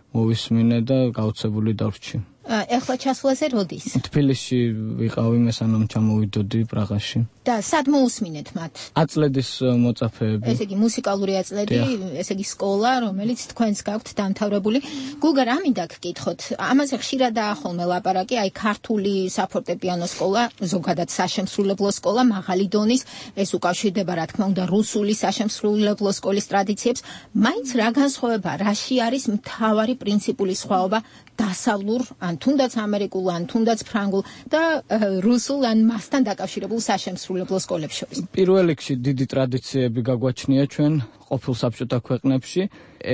მოვისმინე და გაოცებული დავრჩი. ეხლა ჩასვლაზე როდის? თბილისში ვიყავი, მე სანამ ჩამოვიდოდი პრაღაში. და სად მოусმინეთ მათ? აწლედის მოწაფეები. ესე იგი მუსიკალური აწლედი, ესე იგი სკოლა, რომელიც თქვენს გაქვთ დამთავრებული. გუგა, რა მინდა გკითხოთ? ამაზე ხშირადაა ხოლმე ლაპარაკი, აი ქართული საფორტეპიანო სკოლა, ზოგადად საშემსრულებლო სკოლა, მაღალი დონის, ეს უკავშირდება რა თქმა უნდა რუსული საშემსრულებლო სკოლის ტრადიციებს. მაინც რა განსხვავება, რაში არის მთავარი პრინციპული სხვაობა დასავლურ, ან თუნდაც ამერიკულ, ან თუნდაც ფრანგულ და რუსულ, ან მასთან დაკავშირებულ საშემსრულებლო სკოლებს შორის? პირველ რიგში დიდი ტრადიციები გაგვაჩნია ჩვენ ყოფილ საბჭოთა ქვეყნებში,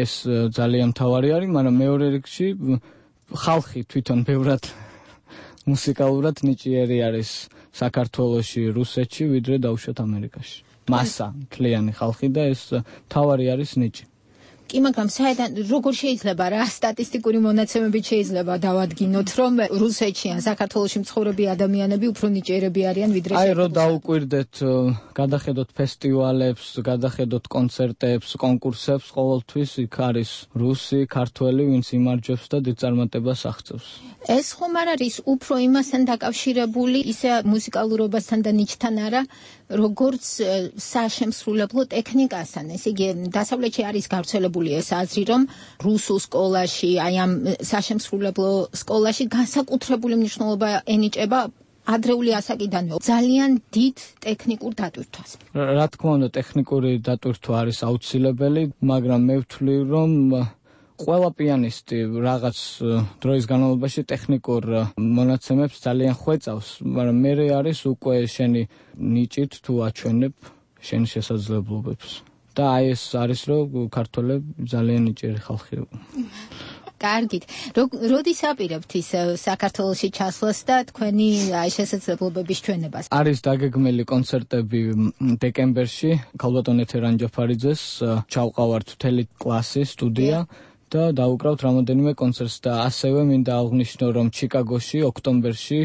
ეს ძალიან მთავარი არის, მაგრამ მეორე რიგში ხალხი თვითონ ბევრად მუსიკალურად ნიჭიერი არის საქართველოში, რუსეთში, ვიდრე დაუშვათ ამერიკაში. მასა, მთლიანი ხალხი და ეს მთავარი არის ნიჭი. კი, მაგრამ საერთოდ როგორ შეიძლება რა სტატისტიკური მონაცემებით შეიძლება დავადგინოთ, რომ რუსეთში ან საქართველოში მცხოვრები ადამიანები უფრო ნიჭიერები არიან ვიდრე აი რომ დაუკვირდეთ, გადახედოთ ფესტივალებს, გადახედოთ კონცერტებს, კონკურსებს, ყოველთვის იქ არის რუსი, ქართველი, ვინც იმარჯვებს და დიდ წარმატებას აღწევს. ეს ხომ არ არის უფრო იმასთან დაკავშირებული, ისე მუსიკალურობასთან და ნიჭთან არა, როგორც საშემსრულებლო ტექნიკასთან. ესე იგი დასავლეთში არის გავრცელებული განვითარებული ეს აზრი, რომ რუსულ სკოლაში, აი ამ საშემსრულებლო სკოლაში განსაკუთრებული მნიშვნელობა ენიჭება ადრეული ასაკიდანვე ძალიან დიდ ტექნიკურ დატვირთვას. რა თქმა უნდა, ტექნიკური დატვირთვა არის აუცილებელი, მაგრამ მე ვთვლი, რომ ყველა პიანისტი რაღაც დროის განმავლობაში ტექნიკურ მონაცემებს ძალიან ხვეწავს, მაგრამ მე არის უკვე შენი ნიჭით თუ აჩვენებ შენი შესაძლებლობებს. და აი ეს არის, რომ ქართველები ძალიან ნიჭიერი ხალხია. კარგით. როდის აპირებთ ის საქართველოში ჩასვლას და თქვენი შესაძლებლობების ჩვენებას? არის დაგეგმილი კონცერტები დეკემბერში, ქალბატონ ეთერ ანჯაფარიძეს ჩავყავართ მთელი კლასი სტუდია და დავუკრავთ რამოდენიმე კონცერტს და ასევე მინდა აღვნიშნო, რომ ჩიკაგოში ოქტომბერში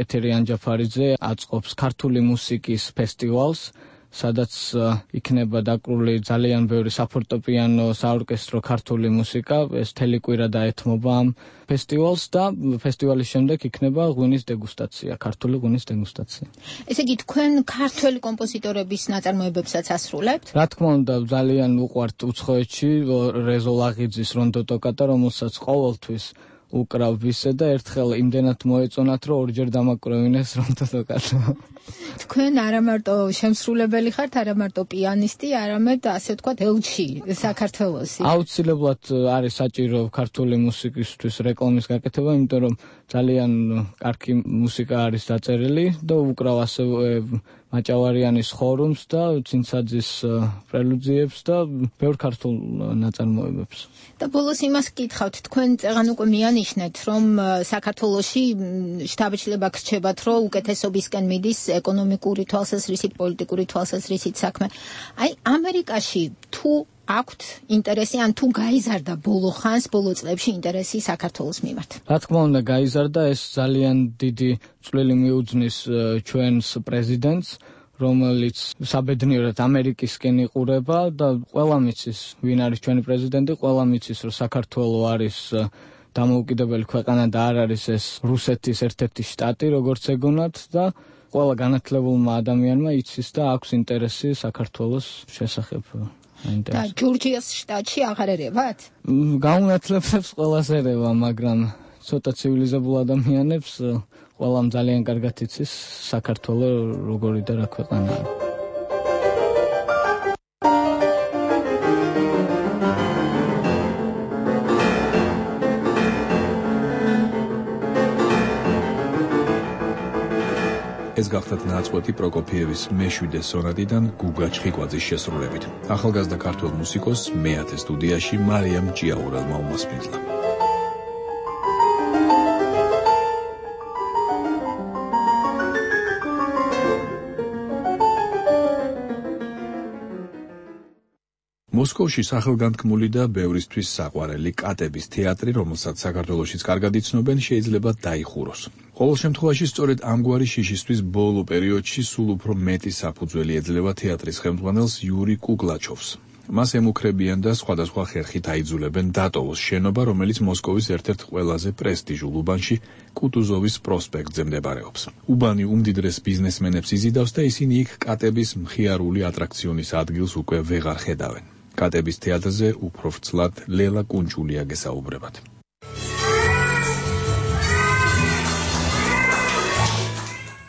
ეთერი ანჯაფარიძე აწყობს ქართული მუსიკის ფესტივალს, სადაც იქნება დაკრული ძალიან ბევრი საფორტეპიანო, საორკესტრო ქართული მუსიკა, ეს მთელი კვირა დაეთმობა ამ ფესტივალს და ფესტივალის შემდეგ იქნება ღვინის დეგუსტაცია, ქართული ღვინის დეგუსტაცია. ესე იგი, თქვენ ქართველი კომპოზიტორების ნაწარმოებებსაც ასრულებთ? რა თქმა უნდა, ძალიან უყვართ უცხოეთში რეზო ლაღიძის რონდო ტოკატა, რომელსაც ყოველთვის უკრავ ვისე და ერთხელ იმდენად მოეწონათ, რომ ორჯერ დამაკვრევინეს რონდო ტოკატა. თქვენ არა მარტო შემსრულებელი ხართ, არა მარტო პიანისტი, არამედ ასე ვთქვათ, ელჩი საქართველოსი. აუცილებლად არის საჭირო ქართული მუსიკისთვის რეკლამის გაკეთება, იმიტომ რომ ძალიან კარგი მუსიკა არის დაწერილი და უკრავ ასევე მაჭავარიანის ხორუმს და ცინცაძის პრელუძიებს და ბევრ ქართულ ნაწარმოებებს. და ბოლოს იმას გკითხავთ, თქვენ წეგან უკვე მიანიშნეთ, რომ საქართველოში შთაბეჭდილება გრჩებათ, რომ უკეთესობისკენ მიდის ეკონომიკური თვალსაზრისით, პოლიტიკური თვალსაზრისით საქმე. აი, ამერიკაში თუ აქვთ ინტერესი, ან თუ გაიზარდა ბოლო ხანს, ბოლო წლებში ინტერესი საქართველოს მიმართ? რა თქმა უნდა, გაიზარდა, ეს ძალიან დიდი წვლილი მიუძნის ჩვენს პრეზიდენტს, რომელიც საბედნიეროდ ამერიკისკენ იყურება და ყველა მიცის, ვინ არის ჩვენი პრეზიდენტი, ყველა მიცის, რომ საქართველო არის დამოუკიდებელი ქვეყანა და არ არის ეს რუსეთის ერთ-ერთი შტატი, როგორც ეგონათ და ყველა განათლებულმა ადამიანმა იცის და აქვს ინტერესი საქართველოს შესახებ. და ჯორჯიას შტატში აღარ ერევათ? გაუნათლებებს ყველას ერევა, მაგრამ ცოტა ცივილიზებულ ადამიანებს ყველამ ძალიან კარგად იცის საქართველო როგორი და რა ქვეყანაა. ეს გახდათ ნაწყვეტი პროკოფიევის მე-7 სონატიდან გუგა ჩხიკვაძის შესრულებით. ახალგაზრდა ქართველ მუსიკოსს მე-10 სტუდიაში მარიამ ჭიაურელმა უმასპინძლა. მოსკოვში სახელგანთქმული და ბევრისთვის საყვარელი კატების თეატრი, რომელსაც საქართველოშიც კარგად იცნობენ, შეიძლება დაიხუროს. ყოველ შემთხვევაში, სწორედ ამგვარი შიშისთვის ბოლო პერიოდში სულ უფრო მეტი საფუძველი ეძლევა თეატრის ხელმძღვანელს იური კუკლაჩოვს. მას ემუქრებიან და სხვადასხვა ხერხით აიძულებენ დატოვოს შენობა, რომელიც მოსკოვის ერთ-ერთ ყველაზე პრესტიჟულ უბანში, კუტუზოვის პროსპექტზე მდებარეობს. უბანი უმდიდრეს ბიზნესმენებს იზიდავს და ისინი იქ კატების მხიარული ატრაქციონის ადგილს უკვე ვეღარ ხედავენ. კატების თეატრზე უფრო ვრცლად ლელა კუნჭულია გესაუბრებათ.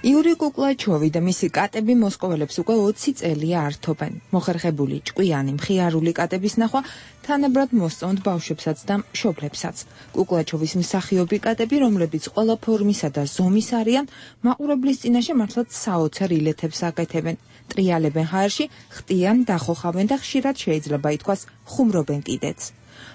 იური კუკლაჩოვი და მისი კატები მოსკოველებს უკვე 20 წელია ართობენ. მოხერხებული ჭკვიანი მხიარული კატების ნახვა თანაბრად მოსწონთ ბავშვებსაც და მშობლებსაც. კუკლაჩოვის მსახიობი კატები, რომლებიც ყველა ფორმისა და ზომის არიან, მაყურებლის წინაშე მართლაც საოცარ ილეთებს აკეთებენ. ტრიალებენ ჰაერში, ხტიან, დახოხავენ და ხშირად შეიძლება ითქვას ხუმრობენ კიდეც.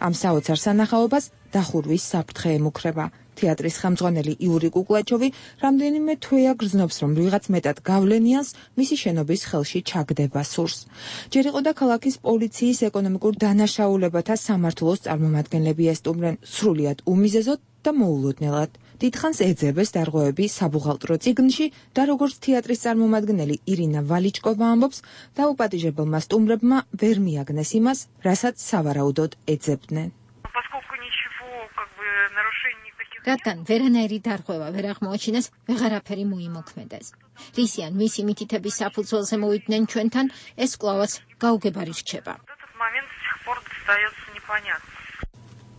ამ საოცარ სანახაობას დახურვის საფრთხე ემუქრება. თეატრის ხელმძღვანელი იური კუკლაჩოვი რამდენიმე თვეა გრძნობს, რომ ვიღაც მეტად გავლენიანს მისი შენობის ხელში ჩაგდება სურს. ჯერ იყო და ქალაქის პოლიციის ეკონომიკურ დანაშაულებათა სამმართველოს წარმომადგენლები ესტუმრენ სრულიად უმიზეზოდ და მოულოდნელად. დიდხანს ეძებეს დარღვევები საბუღალტრო წიგნში და როგორც თეატრის წარმომადგენელი ირინა ვალიჩკოვა ამბობს, დაუპატიჟებელმა სტუმრებმა ვერ მიაგნეს იმას, რასაც სავარაუდოდ ეძებდნენ. რადგან ვერანაირი დარღვევა ვერ აღმოაჩინეს, ვეღარაფერი მოიმოქმედეს. რისიან მისი მითითების საფუძველზე მოვიდნენ ჩვენთან, ეს კვლავაც გაუგებარი რჩება. остается непонятным.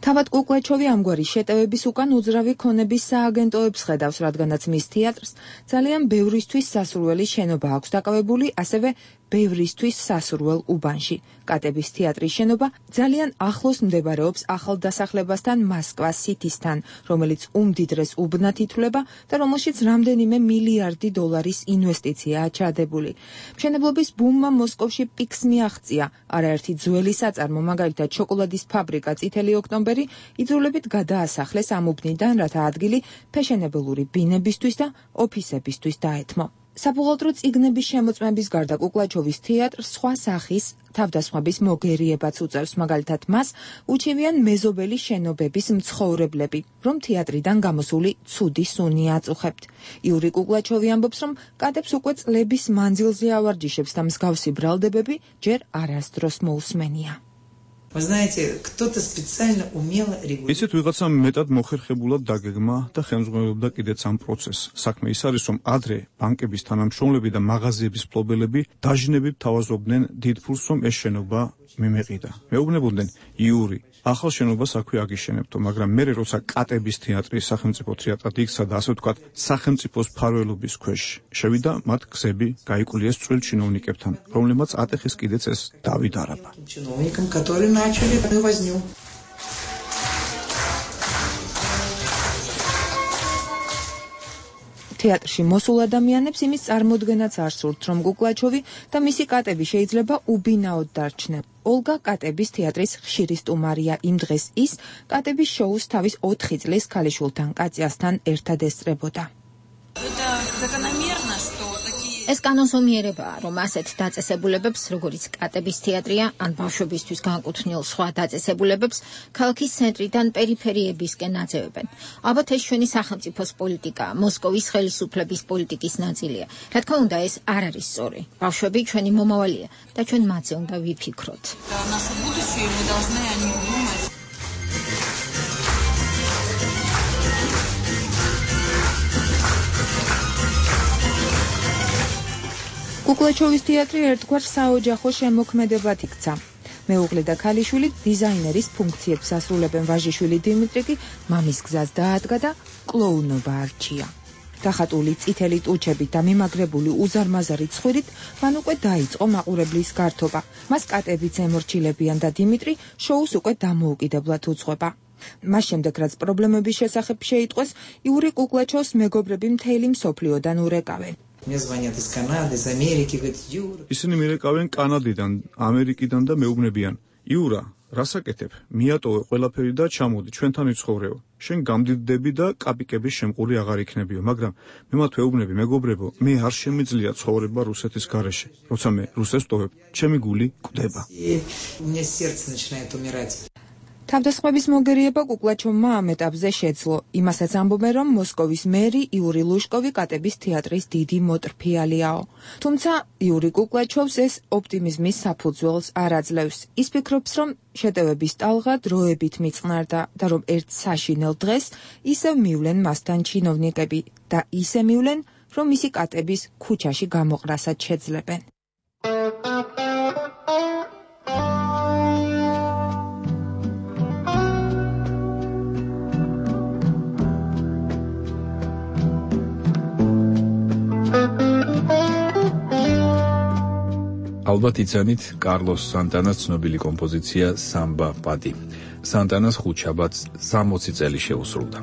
თავად კუკლაჩოვი ამგვარი შეტევების უკან უძრავი ქონების სააგენტოებს ხედავს, რადგანაც მის თეატრს ძალიან ბევრისთვის სასურველი შენობა აქვს დაკავებული, ასევე ბევრისთვის სასურველ უბანში. კატების თეატრის შენობა ძალიან ახლოს მდებარეობს ახალდასახლებასთან მოსკვას სიტისთან, რომელიც უმდიდრეს უბნად ითვლება და რომელშიც რამდენიმე მილიარდი დოლარის ინვესტიციაა ჩადებული. მშენებლობის ბუმმა მოსკოვში პიკს მიაღწია. არაერთი ძველი საწარმო, მაგალითად შოკოლადის ფაბრიკა წითელი ოქტომბერი იძულებით გადაასახლეს ამ უბნიდან, რათა ადგილი ფეშენებელური ბინებისთვის და ოფისებისთვის დაეთმო. საბუღალტრო წიგნების შემოწმების გარდა კუკლაჩოვის თეატრს სხვა სახის თავდასხმების მოგერიებაც უწევს, მაგალითად მას უჩივიან მეზობელი შენობების მცხოვრებლები, რომ თეატრიდან გამოსული ცუდი სუნი აწუხებთ. იური კუკლაჩოვი ამბობს, რომ კატებს უკვე წლების მანძილზე ავარჯიშებს და მსგავსი ბრალდებები ჯერ არასდროს მოусმენია. Вы знаете, кто-то специально умело регулирует. ისეთ ვიღაცამ მეტად მოხერხებულად დაგეგმა და ხელმძღვანელობდა კიდეც ამ პროცესს. საქმე ის არის, რომ ადრე ბანკების თანამშრომლები და მაღაზიების მფლობელები დაჟინებით თავაზობდნენ დიდ ფულს, რომ ეს შენობა მიმეყიდა. მეუბნებოდნენ, იური, ახალ შენობას აქვე აგიშენებთო, მაგრამ მე როცა კატების თეატრი სახელმწიფო თეატრად იქცა და ასე ვთქვათ, სახელმწიფოს მფარველობის ქვეშ შევიდა, მათ გზები გაიკულიეს წვრილ ჩინოვნიკებთან, რომლებმაც ატეხეს კიდეც ეს დავით არაბა. Чиновникам, которые начали возню. თეატრში მოსულ ადამიანებს იმის წარმოდგენაც არ სურთ, რომ კუკლაჩოვი და მისი კატები შეიძლება უბინაოდ დარჩნენ. ოლგა კატების თეატრის ხშირი სტუმარია. იმ დღეს ის კატების შოუს თავის 4 წლის ქალიშვილთან კატიასთან ერთად ესწრებოდა. ეს კანონზომიერებაა, რომ ასეთ დაწესებულებებს, როგორიც კატების თეატრია, ან ბავშვებისთვის განკუთვნილ სხვა დაწესებულებებს, ქალაქის ცენტრიდან პერიფერიებისკენ აძევებენ. ალბათ ეს ჩვენი სახელმწიფოს პოლიტიკაა, მოსკოვის ხელისუფლების პოლიტიკის ნაწილია. რა თქმა უნდა, ეს არ არის სწორი. ბავშვები ჩვენი მომავალია და ჩვენ მათზე უნდა ვიფიქროთ. კუკლაჩოვის თეატრი ერთგვარ საოჯახო შემოქმედებად იქცა. მეუღლე და ქალიშვილი დიზაინერის ფუნქციებს ასრულებენ, ვაჟიშვილი დიმიტრი კი მამის გზას დაადგა და კლოუნობა არჩია. დახატული წითელი ტუჩებით და მიმაგრებული უზარმაზარი ცხვირით მან უკვე დაიწყო მაყურებლის გართობა. მას კატებიც ემორჩილებიან და დიმიტრი შოუს უკვე დამოუკიდებლად უძღვება. მას შემდეგ, რაც პრობლემების შესახებ შეიტყვეს, იური კუკლაჩოვს მეგობრები მთელი მსოფლიოდან ურეკავენ. Мне звонят из Канады, из Америки, говорят, Юра. ისინი მირეკავენ კანადიდან, ამერიკიდან და მეუბნებიან, იურა, რას აკეთებ? მიატოვე ყველაფერი და ჩამოდი, ჩვენთან იცხოვრეო. შენ გამდიდდები და კაპიკების შემყური აღარ იქნებიო, მაგრამ მე მათ ვეუბნები, მეგობრებო, მე არ შემიძლია ცხოვრება რუსეთის გარეშე. როცა მე რუსეთს ვტოვებ, ჩემი გული კვდება. У меня сердце начинает умирать. თავდასხმების მოგერიება კუკლაჩოვმა ამ ეტაპზე შეძლო. იმასაც ამბობენ, რომ მოსკოვის მერი იური ლუშკოვი კატების თეატრის დიდი მოტრფიალიაო. თუმცა იური კუკლაჩოვს ეს ოპტიმიზმის საფუძველს არ აძლევს. ის ფიქრობს, რომ შეტევების ტალღა დროებით მიწყნარდა და რომ ერთ საშინელ დღეს ისევ მივლენ მასთან ჩინოვნიკები და ისე მივლენ, რომ მისი კატების ქუჩაში გამოყრასაც შეძლებენ. ალბათ იცანით კარლოს სანტანას ცნობილი კომპოზიცია სამბა პადი. სანტანას ხუთშაბათს 60 წელი შეუსრულდა.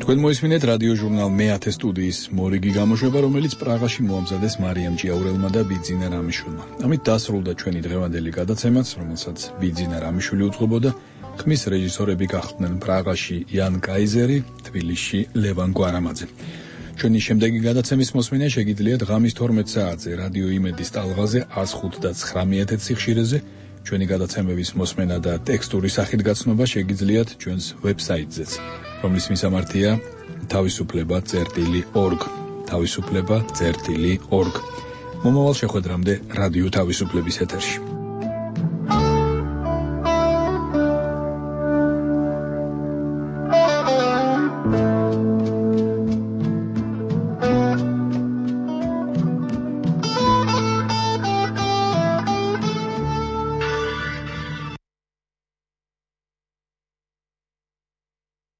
თქვენ მოისმინეთ რადიო ჟურნალ მე-10 სტუდიის მორიგი გამოშვება, რომელიც პრაღაში მოამზადეს მარიამ ჭიაურელმა და ბიძინა რამიშვილმა. ამით დასრულდა ჩვენი დღევანდელი გადაცემაც, რომელსაც ბიძინა რამიშვილი უძღვებოდა. ხმის რეჟისორები გახდნენ პრაღაში იან კაიზერი, თბილისში ლევან გვარამაძე. ჩვენი შემდეგი გადაცემის მოსმენა შეგიძლიათ ღამის 12 საათზე რადიო იმედის ტალღაზე 105 და 9 სიხშირეზე. ჩვენი გადაცემების მოსმენა და ტექსტური სახით გაცნობა შეგიძლიათ ჩვენს ვებსაიტზეც, რომლის მისამართია თავისუფლება.org. თავისუფლება.org. მომავალ შეხვედრამდე რადიო თავისუფლების ეთერში.